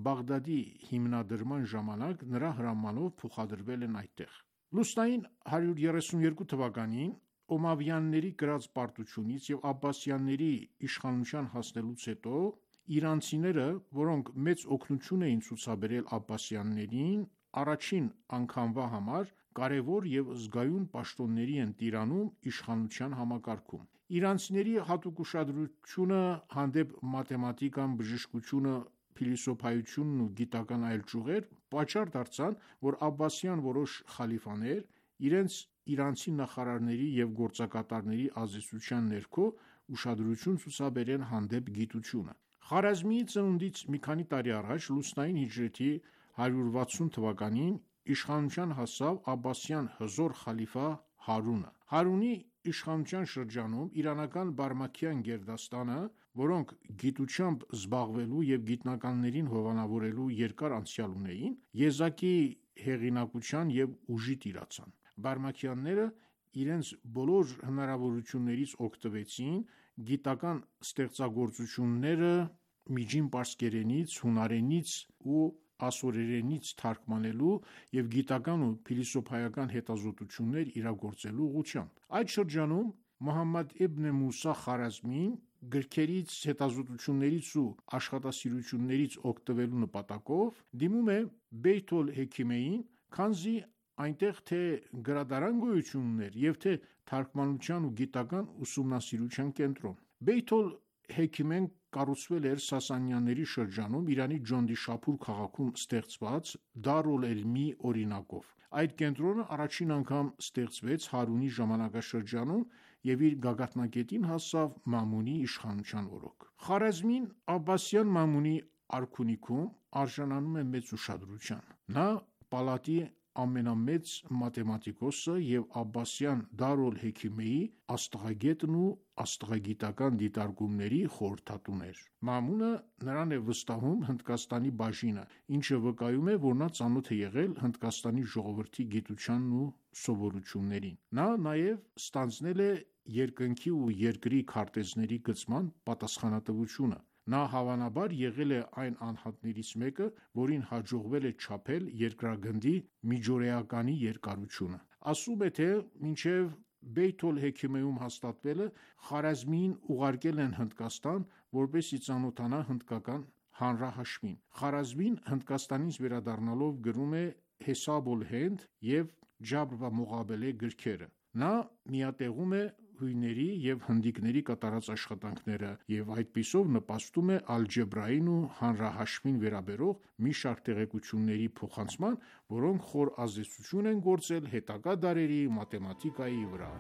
Բաղդադի հիմնադրման ժամանակ նրա հրամանով փոխադրվել են այդտեղ։ Լուսնային հարյուր երեսունյոթ թվականին Օմավյանների կրած պարտությունից և Աբբասյանների իշխանության հասնելուց հետո իրանցիները, որոնք մեծ օգնություն էին ցուցաբերել Աբբասյաններին, առաջին անգամվա համար կարևոր եւ զգայուն պաշտոնների են տիրանում իշխանության համակարգում։ Իրանցիների հատուկ ուշադրությունը հանդեպ մաթեմատիկան, բժշկությունը, փիլիսոփայությունն ու գիտական այլ ճյուղեր պատճառ դարձան, որ աբբասյան որոշ խալիֆաներ իրենց իրանցի նախարարների եւ գործակատարների ազդեցության ներքո ուշադրություն ցուցաբերեն հանդեպ գիտությունը։ Խարազմիի ծնունդից մի քանի տարի առաջ լուսնային հիջրեթի հարյուր վաթսուն թվականին իշխանության հասավ աբբասյան հզոր խալիֆա Հարունը։ Հարունի իշխանության շրջանում իրանական Բարմաքյան գերդաստանը, որոնք գիտությամբ զբաղվելու եւ գիտնականներին հովանավորելու երկար անցյալ ունեին, եզակի հեղինակության եւ ուժի տիրացան։ Բարմաքյանները իրենց բոլոր հնարավորություններից օգտվեցին գիտական ստեղծագործությունները միջին պարսկերենից, հունարենից ու ասորերենից թարգմանելու եւ գիտական ու փիլիսոփայական հետազոտություններ իրագործելու ուղղությամբ։ Այդ շրջանում Մոհամմադ իբն Մուսա Խարազմին գրքերից, հետազոտություններից ու աշխատասիրություններից օգտվելու նպատակով դիմում է Բեյթ ալ-Հեքիմեին, քանզի այնտեղ թե գրադարան գոյություն ուներ եւ թե թարգմանության ու գիտական ուսումնասիրության կենտրոն։ Բեյթ ալ-Հեքիմեն կառուցվել էր Սասանյանների շրջանում Իրանի Ջոնդիշափուր քաղաքում ստեղծված Դար ալ-Էլմի օրինակով։ Այդ կենտրոնը առաջին անգամ ստեղծվեց Հարունի ժամանակաշրջանում եւ իր գագաթնակետին հասավ Մամունի իշխանության օրոք։ Խարազմին Աբբասյան Մամունի արքունիքում արժանանում է մեծ ուշադրության։ Նա պալատի ամենամեծ մաթեմատիկոսը եւ Աբբասյան Դար ալ-Հեքիմեի աստղագետն ու աստղագիտական դիտարկումների խորհրդատուն էր։ Մամունը նրան է վստահում Հնդկաստանի բաժինը, ինչը վկայում է, որ նա ծանոթ է եղել Հնդկաստանի ժողովրդի գիտությանն ու սովորություններին։ Նա նաեւ ստանձնել է երկնքի ու երկրի քարտեզների գծման պատասխանատվությունը։ Նա հավանաբար եղել է այն անհատներից մեկը, որին հաջողվել է չափել երկրագնդի միջօրեականի երկարությունը։ Ասում է, թե մինչև Բեյթ ալ-Հեքիմեում հաստատվելը Խարազմիին ուղարկել են Հնդկաստան, որպեսզի ծանոթանա հնդկական հանրահաշվին։ Խարազմին Հնդկաստանից վերադառնալով գրում է Հեսաբ ալ-Հենդ եւ Ջաբր վա Մողաբելե գրքերը։ Նա միատեղում է հույների եւ հնդիկների կատարած աշխատանքները եւ այդպիսով նպաստում է ալջեբրային ու հանրահաշվին վերաբերող մի շարք տեղեկությունների փոխանցման, որոնք խոր ազդեցություն են գործել հետագա դարերի մաթեմատիկայի վրա։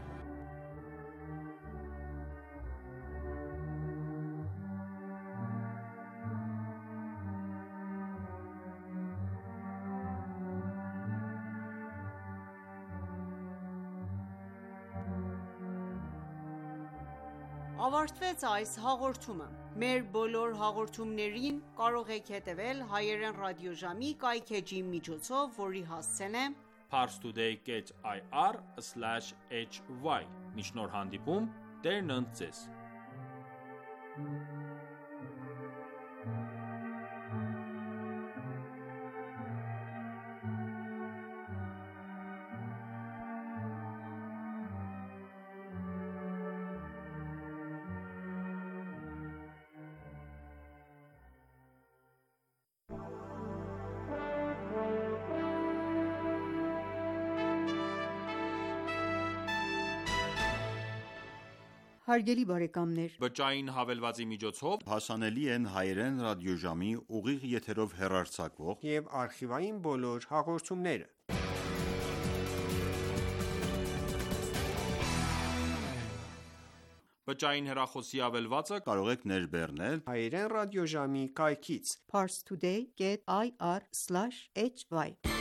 Ավարտվեց այս հաղորդումը։ Մեր բոլոր հաղորդումներին կարող եք հետևել հայերեն ռադիոժամի կայքէջի միջոցով, որի հասցեն է parstoday dot i r slash h y։ Մինչ նոր հանդիպում, Տերն ընդ ձեզ։ Հարգելի բարեկամներ, Բջջային հավելվածի միջոցով հասանելի են հայերեն ռադիոժամի ուղիղ եթերով հեռարձակվող եւ արխիվային բոլոր հաղորդումները։ Բջջային հեռախոսի ավելվածը կարող եք ներբեռնել հայերեն ռադիոժամի կայքից parstoday dot i r slash h y։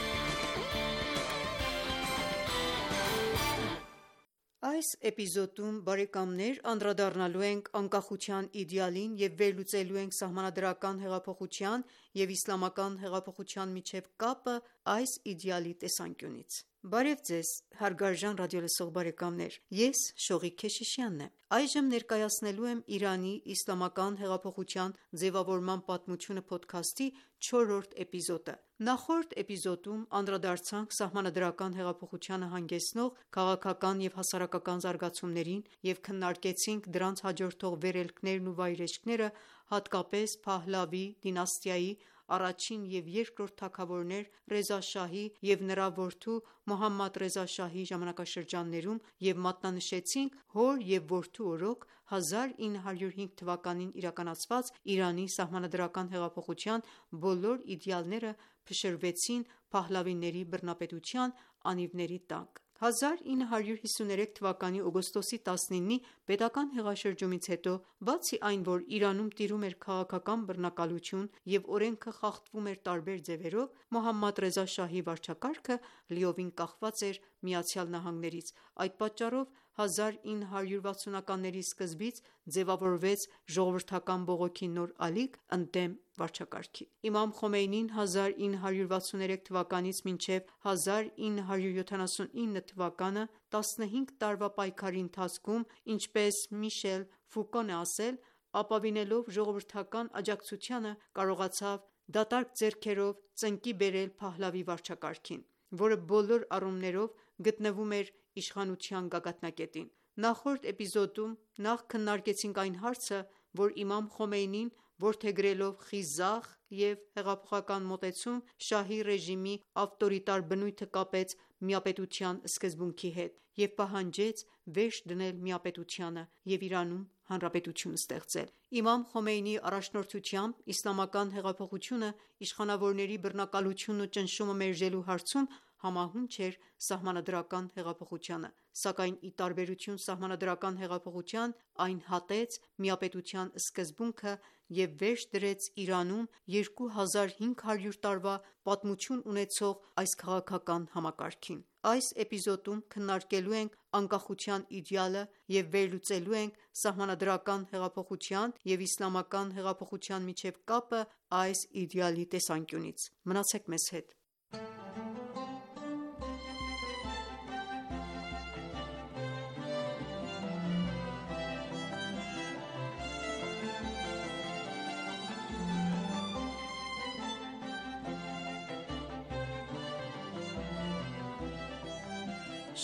Այս էպիզոդում, բարեկամներ, անդրադառնալու ենք անկախության իդեալին եւ վերլուծելու ենք սահմանադրական հեղափոխության եւ իսլամական հեղափոխության միջև կապը այս իդեալի տեսանկյունից։ Բարև ձեզ, հարգարժան ռադիոլսող բարեկամներ, ես Շողիկ Քեշիշյանն եմ։ Այժմ ներկայացնելու եմ Իրանի իսլամական հեղափոխության ձևավորման պատմությունը փոդքասթի չորրորդ էպիզոդը։ Նախորդ էպիզոդում անդրադարձանք սահմանադրական հեղափոխությանը հանգեցնող քաղաքական եւ հասարակական զարգացումներին եւ քննարկեցինք դրանց հաջորդող վերելքներն ու վայրէջքները, հատկապես Փահլավի դինաստիայի առաջին և երկրորդ թագավորներ Ռեզա շահի և նրա որդու Մոհամմադ Ռեզա շահի ժամանակաշրջաններում և մատնանշեցինք հոր և որդու օրոք հազար ինը հարյուր հինգ թվականին իրականացված Իրանի սահմանադրական հեղափոխության բոլոր իդեալները փշրվեցին Փահլավիների բռնապետության անիվների տակ: հազար ինը հարյուր հիսուներեք թվականի օգոստոսի տասնինի պետական հեղաշրջումից հետո, բացի այն, որ Իրանում տիրում էր քաղաքական բռնակալություն և օրենքը խախտվում էր տարբեր ձևերով, Մոհամմադ Ռեզա շահի վարչակարգը լիովին կախված էր ԱՄՆ-ից: Այդ պատճառով հազար ինը հարյուր վաթսունականների սկզբից ձևավորվեց ժողովրդական բողոքի նոր ալիք ընդդեմ վարչակարգի: Իմամ Խոմեյնին հազար ինը հարյուր վաթսուներեք թվականից մինչև հազար ինը հարյուր յոթանասունինը թվականը տասնհինգ տարվա պայքարի ընթացքում, ինչպես Միշել Ֆուկոն է ասել, ապավինելով ժողովրդական աջակցությանը, կարողացավ դատարկ ձեռքերով ծնկի բերել Փահլավի վարչակարգին, որը բոլոր առումներով գտնվում էր իշխանության գագաթնակետին: Նախորդ էպիզոդում նախ քննարկեցինք այն հարցը, որ իմամ Խոմեյնին որդեգրելով խիզախ և հեղափոխական մոտեցում, շահի ռեժիմի ավտորիտար բնույթը կապեց միապետության սկզբունքի հետ և պահանջեց վերջ դնել միապետությանը և Իրանում հանրապետություն ստեղծել: Իմամ Խոմեյնիի առաջնորդությամբ իսլամական հեղափոխությունը իշխանավորների բռնակալությունն ու ճնշումը մերժելու հարցում համահունչ էր սահմանադրական հեղափոխությանը, սակայն ի տարբերություն սահմանադրական հեղափոխության, այն հատեց միապետության սկզբունքը և վերջ դրեց Իրանում երկու հազար հինգ հարյուր տարվա պատմություն ունեցող այս քաղաքական համակարգին: Այս էպիզոդում քննարկելու ենք անկախության իդեալը և վերլուծելու ենք սահմանադրական հեղափոխության և իսլամական հեղափոխության միջև կապը այս իդեալի տեսանկյունից: Մնացեք մեզ հետ: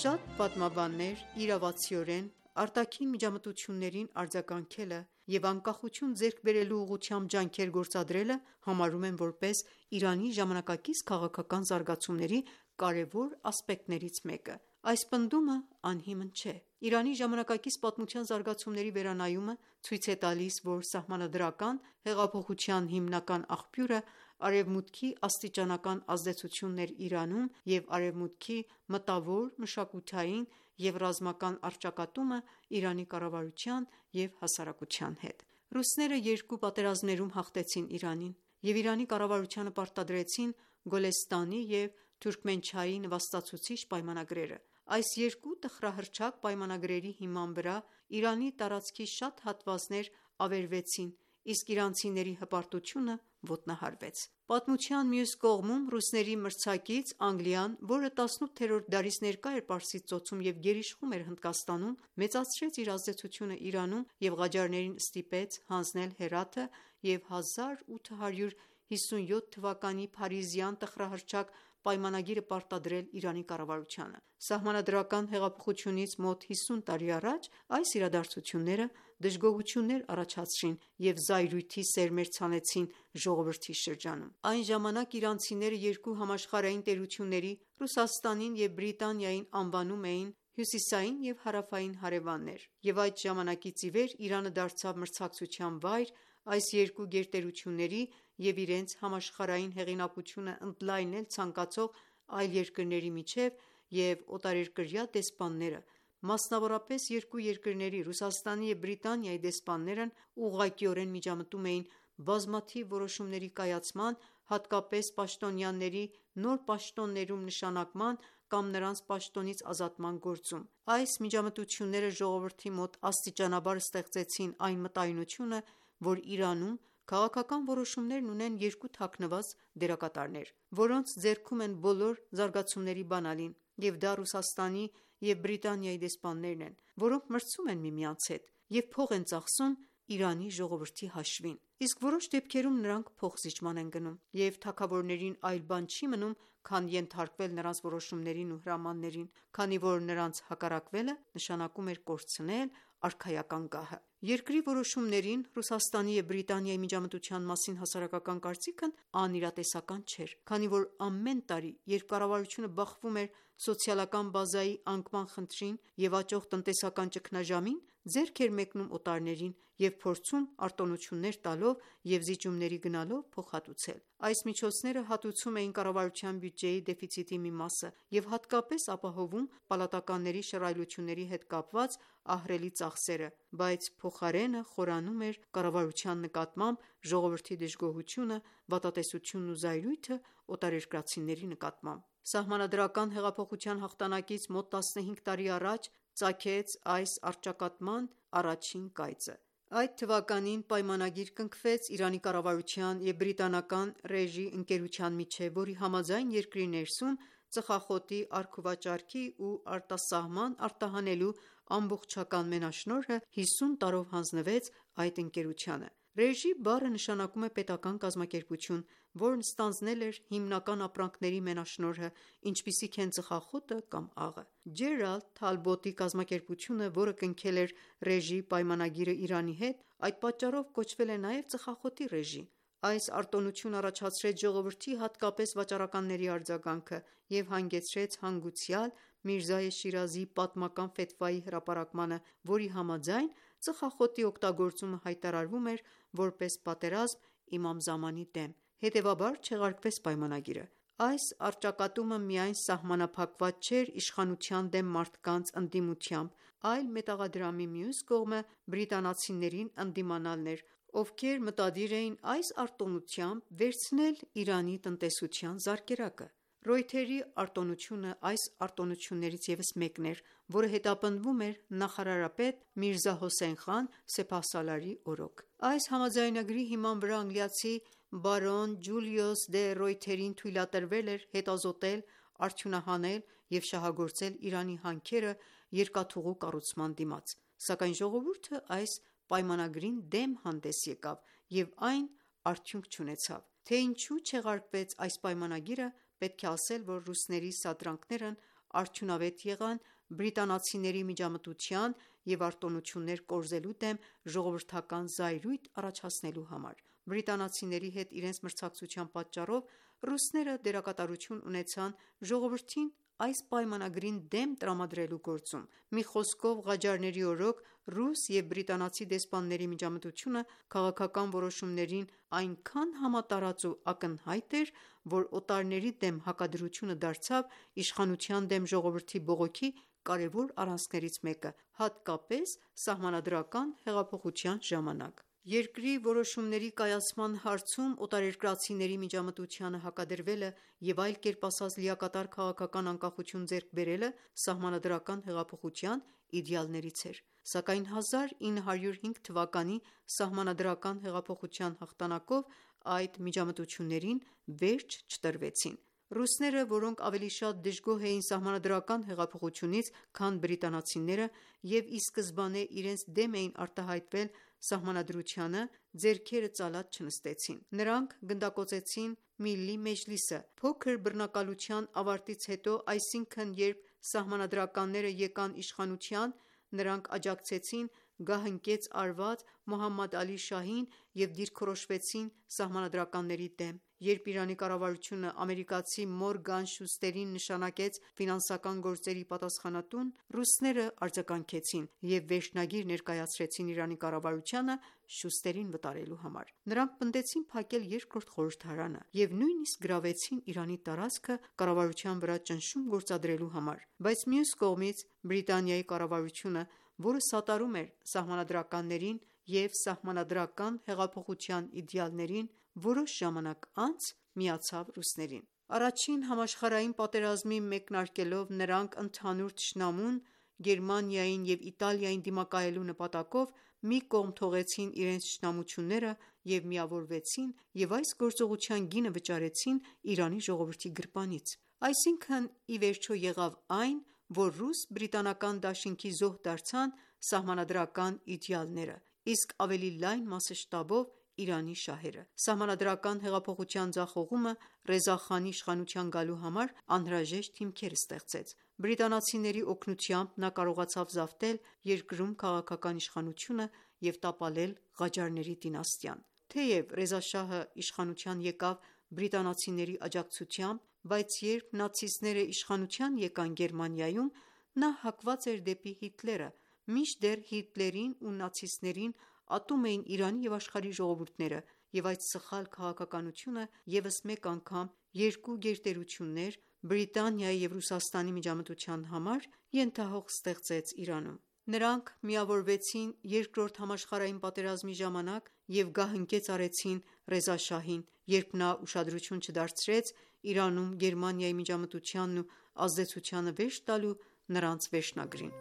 Շատ պատմաբաններ իրավացիորեն արտաքին միջամտություններին արձագանքելը և անկախություն ձեռք բերելու ուղղությամբ ջանքեր գործադրելը համարում են որպես Իրանի ժամանակակից քաղաքական զարգացումների կարևոր ասպեկտներից մեկը: Այս պնդումը անհիմն չէ: Իրանի ժամանակակից պատմության զարգացումների վերանայումը ցույց է տալիս, որ սահմանադրական հեղափոխության հիմնական աղբյուրը Արևմուտքի աստիճանական ազդեցությունն էր Իրանում և Արևմուտքի մտավոր, մշակութային և ռազմական առճակատումը Իրանի կառավարության և հասարակության հետ: Ռուսները երկու պատերազմներում հաղթեցին Իրանին և Իրանի կառավարությանը պարտադրեցին Գոլեստանի և Թուրքմենչայի նվաստացուցիչ պայմանագրերը: Այս երկու տխրահռչակ պայմանագրերի հիման վրա Իրանի տարածքի շատ հատվածներ ավերվեցին, իսկ իրանցիների հպարտությունը ոտնահարվեց: Պատմության մյուս կողմում ռուսների մրցակից Անգլիան, որը տասնութերորդ դարից ներկա էր Պարսից ծոցում և գերիշխում էր Հնդկաստանում, մեծացրեց իր ազդեցությունը Իրանում և Ղաջարներին ստիպեց հանձնել Հերաթը և հազար ութ հարյուր հիսունյոթ թվականի փարիզյան տխրահռչակ պայմանագիրը պարտադրել Իրանի կառավարությանը: Սահմանադրական հեղափոխությունից մոտ հիսուն տարի առաջ այս իրադարձությունները դժգոհություններ առաջացրին և զայրույթի սերմեր ցանեցին ժողովրդի շրջանում: Այն ժամանակ իրանցիները երկու համաշխարհային տերությունների՝ Ռուսաստանին և Բրիտանիային անվանում էին հյուսիսային և հարավային հարևաններ և այդ ժամանակից ի վեր Իրանը դարձավ մրցակցության վայր այս երկու գերտերությունների և իրենց համաշխարհային հեղինակությունը ընդլայնել ցանկացող այլ երկրների միջև և օտարերկրյա դեսպանները, մասնավորապես երկու երկրների՝ Ռուսաստանի և Բրիտանիայի դեսպաններն ուղղակիորեն միջամտում էին բազմաթիվ որոշումների կայացման, հատկապես պաշտոնյաների նոր պաշտոններում նշանակման կամ նրանց պաշտոնից ազատման գործում: Այս միջամտությունները ժողովրդի մոտ աստիճանաբար ստեղծեցին այն մտայնությունը, որ Իրանում քաղաքական որոշումներն ունեն երկու թաքնված դերակատարներ, որոնց ձեռքում են բոլոր զարգացումների բանալին և դա Ռուսաստանի և Բրիտանիայի դեսպաններն են, որոնք մրցում են միմյանց հետ և փող են ծախսում Իրանի ժողովրդի հաշվին, իսկ որոշ դեպքերում նրանք փոխզիջման են գնում, և թագավորներին այլ բան չի մնում, քան ենթարկվել նրանց որոշումներին ու հրամաններին, քանի որ նրանց հակառակվելը նշանակում էր կորցնել արքայական գահը։ Երկրի որոշումներին Ռուսաստանի և Բրիտանիայի միջամտության մասին հասարակական կարծիքն անիրատեսական չէր, քանի որ ամեն տարի, երբ կառավարությունը բախվում էր սոցիալական բազայի անկման խնդրին և աճող տնտեսական ճգնաժամին, ձեռք էր մեկնում օտարներին և փորձում արտոնություններ տալով և զիջումների գնալով փոխհատուցել։ Այս միջոցները հատուցում էին կառավարության բյուջեի դեֆիցիտի մի մասը և հատկապես ապահովում պալատականների շռայլությունների հետ կապված ահռելի ծախսերը, բայց փոխարենը խորանում էր կառավարության նկատմամբ ժողովրդի դժգոհությունը, վատատեսությունն ու զայրույթը օտարերկրացիների նկատմամբ։ Սահմանադրական հեղափոխության հաղթանակից մոտ տասնհինգ տարի առաջ ծագեց այս առճակատման առաջին կայծը։ Այդ թվականին պայմանագիր կնքվեց Իրանի կառավարության և բրիտանական Ռեժի ընկերության միջև, որի համաձայն երկրի ներսում ծխախոտի առքուվաճառքի ու արտասահման արտահանելու ամբողջական մենաշնորհը հիսուն տարով հանձնվեց այդ ընկերությանը։ Ռեժի բառը նշանակում է պետական կազմակերպություն, որն ստանձնել էր հիմնական ապրանքների մենաշնորհը, ինչպիսիք են ծխախոտը կամ աղը։ Ջերալդ Թալբոտի կազմակերպությունը, որը կնքել էր Ռեժի պայմանագիրը Իրանի հետ, այդ պատճառով կոչվել է նաև ծխախոտի Ռեժի։ Այս արտոնությունը առաջացրեց ժողովրդի, հատկապես վաճառականների արձագանքը և հանգեցրեց հանգուցյալ Միրզայե Շիրազիի պատմական ֆեթվայի հրապարակմանը, որի համաձայն ծխախոտի օգտագործումը հայտարարվում էր որպես պատերազմ իմամ Զամանի դեմ, հետևաբար չեղարկվեց պայմանագիրը։ Այս առճակատումը միայն սահմանափակված չէր իշխանության դեմ մարդկանց ընդդիմությամբ, այլ մետաղադրամի մյուս կողմը բրիտանացիներին ընդդիմանալն էր, ովքեր մտադիր էին այս արտոնությամբ վերցնել Իրանի տնտեսության զարկերակը։ Ռոյթերի արտոնությունը այս արտոնություններից ևս մեկն էր, որը հետապնդվում էր նախարարապետ Միրզա Հոսեյն խան Սեփահսալարի օրոք։ Այս համաձայնագրի հիման վրա անգլիացի բարոն Ջուլիուս դե Ռոյթերին թույլատրվել էր հետազոտել, արդյունահանել և շահագործել Իրանի հանքերը երկաթուղու կառուցման դիմաց, սակայն ժողովուրդը այս պայմանագրին դեմ հանդես եկավ և այն արդյունք չունեցավ։ Թե ինչու չեղարկվեց այս պայմանագիրը, պետք է ասել, որ ռուսների սադրանքներն արդյունավետ եղան բրիտանացիների միջամտության և արտոնություններ կորզելու դեմ ժողովրդական զայրույթ առաջացնելու համար։ Բրիտանացիների հետ իրենց մրցակցության պատճառով ռուսները դերակատարություն ունեցան ժողովրդին այս պայմանագրին դեմ տրամադրելու գործում։ Մի խոսքով, Ղաջարների օրոք ռուս և բրիտանացի դեսպանների միջամտությունը քաղաքական որոշումներին այնքան համատարած ու ակնհայտ էր, որ օտարների դեմ հակադրությունը դարձավ իշխանության դեմ ժողովրդի բողոքի կարևոր առանցքներից մեկը, հատկապես սահմանադրական հեղափոխության ժամանակ։ Երկրի որոշումների կայացման հարցում օտարերկրացիների միջամտությանը հակադրվելը և այլ կերպ ասած լիակատար քաղաքական անկախություն ձեռք բերելը սահմանադրական հեղափոխության իդեալներից էր, սակայն հազար ինը հարյուր հինգ թվականի սահմանադրական հեղափոխության հաղթանակով այդ միջամտություններին վերջ չտրվեցին։ Ռուսները, որոնք ավելի շատ դժգոհ էին սահմանադրական հեղափոխությունից, քան բրիտանացիները և ի սկզբանե իրենց դեմ էին արտահայտվել սահմանադրությանը, ձեռքերը ծալած չնստեցին։ Նրանք գնդակոծեցին Միլլի Մեջլիսը։ Փոքր բռնակալության ավարտից հետո, այսինքն երբ սահմանադրականները եկան իշխանության, նրանք աջակցեցին գահընկեց արված Մոհամմադ Ալի Շահին և դիրքորոշվեցին սահմանադրականների դեմ։ Երբ Իրանի կառավարությունը ամերիկացի Մորգան Շուստերին նշանակեց ֆինանսական գործերի պատասխանատուն, ռուսները արձագանքեցին և վերջնագիր ներկայացրեցին Իրանի կառավարությանը Շուստերին վտարելու համար։ Նրանք պնդեցին փակել երկրորդ խորհրդարանը և նույնիսկ գրավեցին Իրանի տարածքը կառավարության վրա ճնշում գործադրելու համար։ Բայց մյուս կողմից Բրիտանիայի կառավարությունը, որը սատարում էր սահմանադրականներին և սահմանադրական հեղափոխության իդեալներին, որոշ ժամանակ անց միացավ ռուսներին։ Առաջին համաշխարհային պատերազմի մեկնարկելով նրանք ընդհանուր թշնամուն Գերմանիային և Իտալիային դիմակայելու նպատակով մի կողմ թողեցին իրենց թշնամությունները և միավորվեցին և այս գործողության գինը վճարեցին Իրանի ժողովրդի գրպանից։ Այսինքն, ի վերջո եղավ այն, որ ռուս-բրիտանական դաշինքի զոհ դարձան սահմանադրական իդեալները, իսկ ավելի լայն մասշտաբով Իրանի շահերը։ Սահմանադրական հեղափոխության ձախողումը Ռեզա խանի իշխանության գալու համար անհրաժեշտ հիմքեր ստեղծեց։ Բրիտանացիների օգնությամբ նա կարողացավ զավթել երկրում քաղաքական իշխանությունը և տապալել Ղաջարների դինաստիան։ Թեև Ռեզա շահը իշխանության եկավ բրիտանացիների աջակցությամբ, բայց երբ նացիստները իշխանության եկան Գերմանիայում, նա հակված էր դեպի Հիտլերը, մինչդեռ Հիտլերին ու նացիստներին ատում էին Իրանի և աշխարհի ժողովուրդները, և այդ սխալ քաղաքականությունը ևս մեկ անգամ երկու գերտերություններ՝ Բրիտանիայի և Ռուսաստանի միջամտության համար ենթահող ստեղծեց Իրանում։ Նրանք միավորվեցին Երկրորդ համաշխարհային պատերազմի ժամանակ և գահընկեց արեցին Ռեզա շահին, երբ նա ուշադրություն չդարձրեց Իրանում Գերմանիայի միջամտությանն ու ազդեցությանը վերջ տալու նրանց վերջնագրին։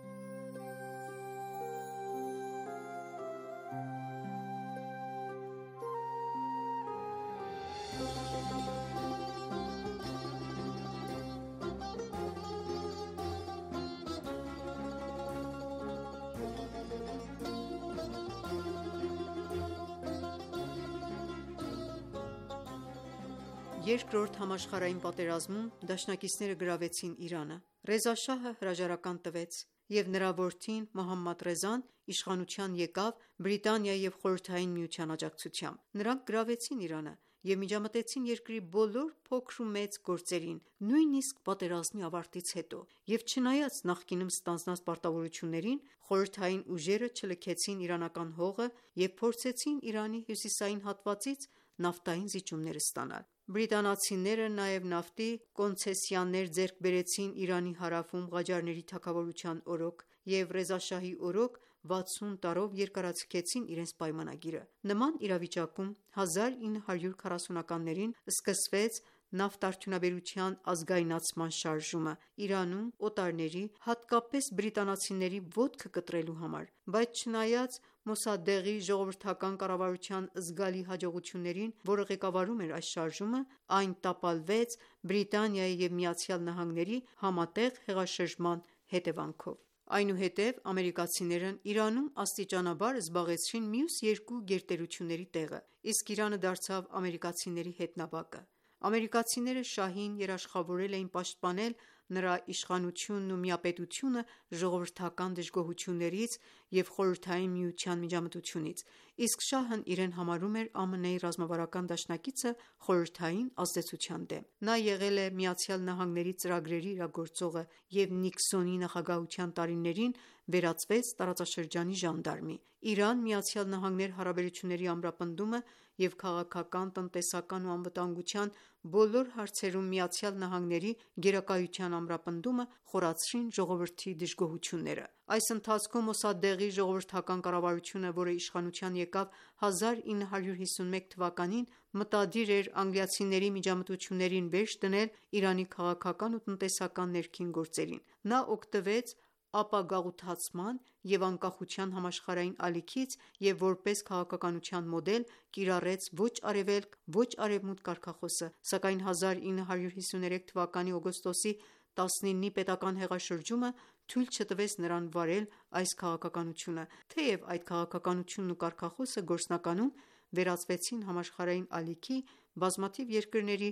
Երկրորդ համաշխարհային պատերազմում դաշնակիցները գրավեցին Իրանը։ Ռեզա շահը հրաժարական տվեց, և նրա որդին Մոհամմադ Ռեզան իշխանության եկավ Բրիտանիայի և Խորհրդային Միության աջակցությամբ։ Նրանք գրավեցին Իրանը և միջամտեցին երկրի բոլոր փոքր ու մեծ գործերին, նույնիսկ պատերազմի ավարտից հետո, և չնայած նախկինում ստանձնած պարտավորություններին, խորհրդային ուժերը չլքեցին իրանական հողը և փորձեցին Իրանի հյուսիսային հատվածից նավթային զիջումներ ստանալ։ Բրիտանացիները նաև նավթի կոնցեսիաներ ձեռք բերեցին Իրանի հարավում Ղաջարների թագավորության օրոք և Ռեզա շահի օրոք վաթսուն տարով երկարաձգեցին իրենց պայմանագիրը։ Նման իրավիճակում հազար ինը հարյուր քառասունականներին սկսվեց նավթարդյունաբերության ազգայնացման շարժումը Իրանում օտարների, հատկապես բրիտանացիների ոտքը կտրելու համար, բայց չնայած Մոսադեղի ժողովրդական կառավարության զգալի հաջողություններին, որը ղեկավարում էր այս շարժումը, այն տապալվեց Բրիտանիայի և ԱՄՆ-ի համատեղ հեղաշրջման հետևանքով։ Այնուհետև ամերիկացիներն Իրանում աստիճանաբար զբաղեցրին մյուս երկու գերտերությունների տեղը, իսկ Իրանը դարձավ ամերիկացիների հետնաբակը։ Ամերիկացիները շահին երաշխավորել էին պաշտպանել նրա իշխանությունն ու միապետությունը ժողովրդական դժգոհություններից և Խորհրդային Միության միջամտությունից, իսկ շահն իրեն համարում էր ԱՄՆ-ի ռազմավարական դաշնակիցը խորհրդային ազդեցության դեմ։ Նա եղել է ԱՄՆ-ի ծրագրերի իրագործողը և Նիքսոնի նախագահության տարիներին վերածվեց տարածաշրջանի ժանդարմի։ Իրան-ԱՄՆ հարաբերությունների ամրապնդումը և քաղաքական, տնտեսական ու անվտանգության բոլոր հարցերում ԱՄՆ-ի գերակայության ամրապնդումը խորացրին ժողովրդի դժգոհությունները։ Այս ընթացքում Մոսադեղի ժողովրդական կառավարությունը, որը իշխանության եկավ հազար ինը հարյուր հիսունմեկ թվականին, մտադիր էր անգլիացիների միջամտություններին վերջ դնել Իրանի քաղաքական ու տնտեսական ներքին գործերին։ Նա օգտվեց ապագաղութացման և անկախության համաշխարհային ալիքից և որպես քաղաքականության մոդել կիրառեց «ոչ արևելք, ոչ արևմուտք» կարգախոսը, սակայն հազար ինը հարյուր հիսուներեք թվականի օգոստոսի տասնինի պետական հեղաշրջումը թույլ չտվեց նրան վարել այս քաղաքականությունը, թեև այդ քաղաքականությունն ու կարգախոսը գործնականում վերածվեցին համաշխարհային ալիքի բազմաթիվ երկրների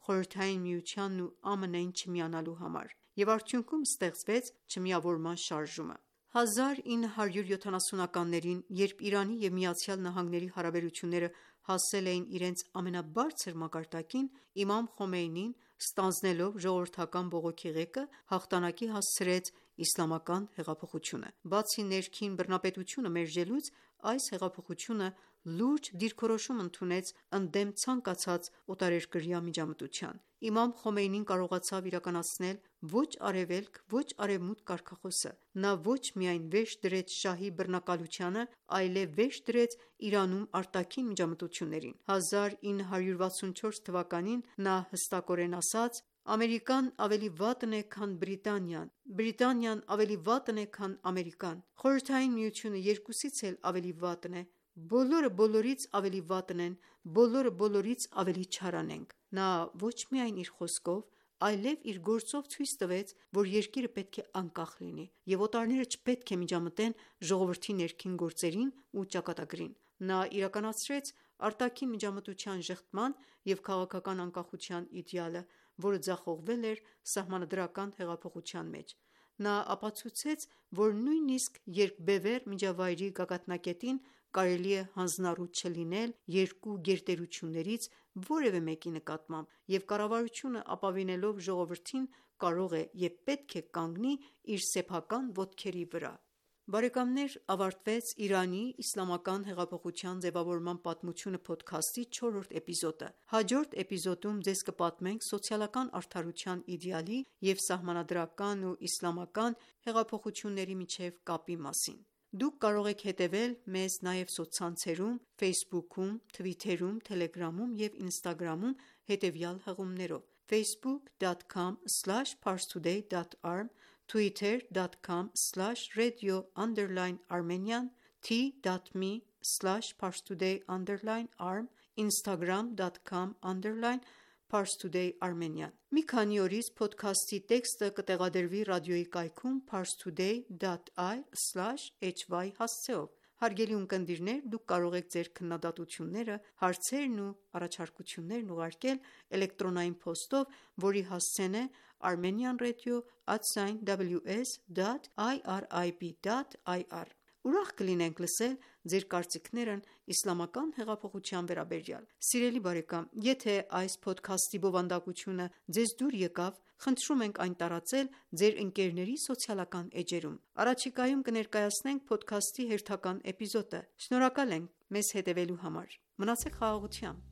Խորհրդային Միությանն ու ԱՄՆ-ին չմիանալու համար, և արդյունքում ստեղծվեց չմիավորման շարժումը։ հազար ինը հարյուր յոթանասունականներին, երբ Իրանի և ԱՄՆ-ի հարաբերությունները հասել էին իրենց ամենաբարձր մակարդակին, իմամ Խոմեյնին, ստանձնելով ժողովրդական բողոքի ղեկը, հաղթանակի հասցրեց իսլամական հեղափոխությունը։ Բացի ներքին բռնապետությունը մերժելուց, այս հեղափոխությունը լուրջ դիրքորոշում ընդունեց ընդդեմ ցանկացած օտարերկրյա միջամտության։ Իմամ Խոմեյնին կարողացավ իրականացնել «ոչ արևելք, ոչ արևմուտք» կարգախոսը։ Նա ոչ միայն վերջ դրեց շահի բռնակալությանը, այլև վերջ դրեց Իրանում արտաքին միջամտություններին։ հազար ինը հարյուր վաթսունչորս թվականին նա հստակորեն ասաց. «Ամերիկան ավելի վատն է, քան Բրիտանիան, Բրիտանիան ավելի վատն է, քան Ամերիկան, Խորհրդային Միությունը երկուսից էլ ավելի վատն է, բոլորը բոլորից ավելի վատն են, բոլորը բոլորից ավելի չարանենգ»։ Նա ոչ միայն իր խոսքով, այլև իր գործով ցույց տվեց, որ երկիրը պետք է անկախ լինի, և օտարները չպետք է միջամտեն ժողովրդի ներքին գործերին ու ճակատագրին: Նա իրականացրեց արտաքին միջամտության ժխտման և քաղաքական անկախության իդեալը, որը ձախողվել էր սահմանադրական հեղափոխության մեջ: Նա ապացուցեց, որ նույնիսկ երկբևեռ միջավայրի գագաթնակետին կարելի է հանձնառու չլինել երկու գերտերություններից որևէ մեկի նկատմամբ, և կառավարությունը ապավինելով ժողովրդին կարող է և պետք է կանգնի իր սեփական ոտքերի վրա: Ավարտվեց «Իրանի իսլամական հեղափոխության ձևավորման պատմությունը» փոդքասթի չորրորդ էպիզոդը: Հաջորդ էպիզոդում ձեզ կպատմենք սոցիալական արդարության իդեալի և սահմանադրական ու իսլամական հեղափոխությունների միջև կապի մասին: Դուք կարող եք հետևել մեզ նաև սոցցանցերում Ֆեյսբուքում, թվիթերում, թելեգրամում և ինստագրամում հետևյալ հղումներով՝ facebook dot com slash parstoday dot irm, twitter dot com slash radio underline armenian, t dot m e slash parstoday underline irm, instagram dot com underline parstoday armenian: Մի քանի օրից փոդքասթի տեքստը կտեղադրվի ռադիոյի կայքում parstoday dot ir slash hy հասցեով: Հարգելի ունկնդիրներ, դուք կարող եք ձեր քննադատությունները, հարցերն ու առաջարկություններն ուղարկել էլեկտրոնային փոստով, որի հասցեն է armenian radio at w s dot irib dot ir: Ուրախ կլինենք լսել ձեր կարծիքներն իսլամական հեղափոխության վերաբերյալ: Սիրելի բարեկամ, եթե այս փոդքասթի բովանդակությունը ձեզ դուր եկավ, խնդրում ենք այն տարածել ձեր ընկերների սոցիալական էջերում: Առաջիկայում կներկայացնենք փոդքասթի հերթական էպիզոդը: Շնորհակալ ենք մեզ հետևելու համար: Մնացեք խաղաղությամբ: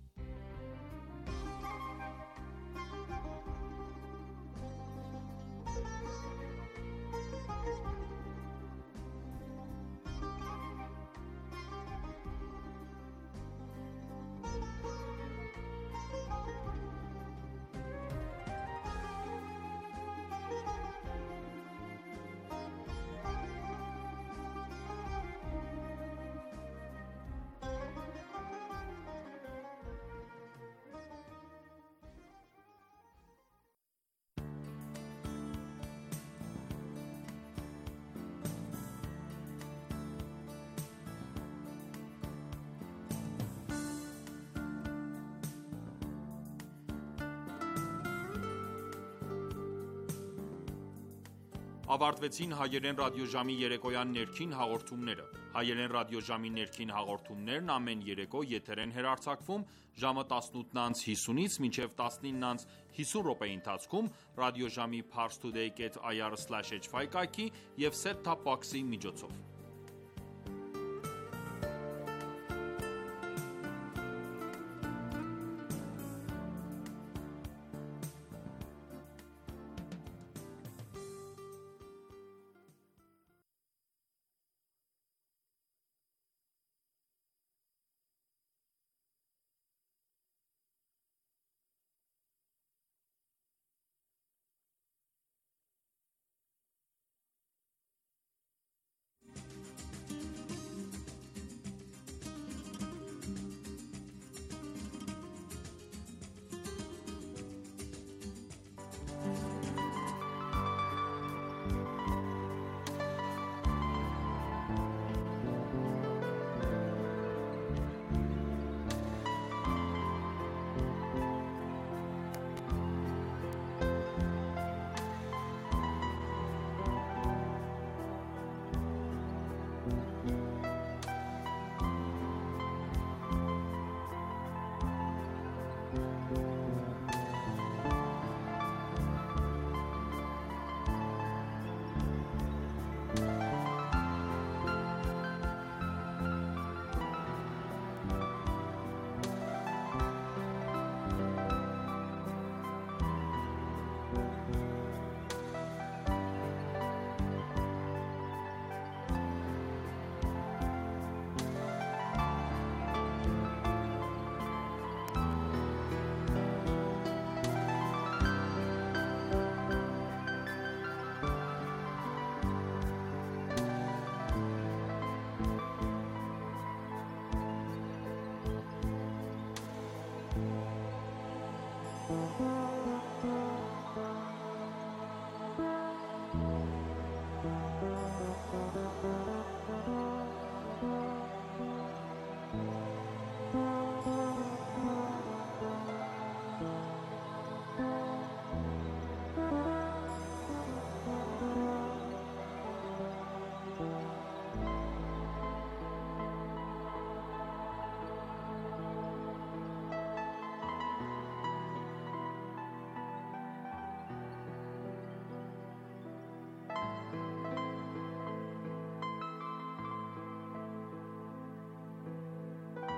Ավարտվեցին հայերեն ռադիոժամի երեկոյան ներքին հաղորդումները: Հայերեն ռադիոժամի ներքին հաղորդումներն ամեն երեկո եթեր են հեռարձակվում ժամը տասնութ անց հիսունից մինչև տասնինը անց հիսուն րոպեի ընթացքում ռադիոժամի parstoday dot ir slash hy կայքի և set top box-ի միջոցով: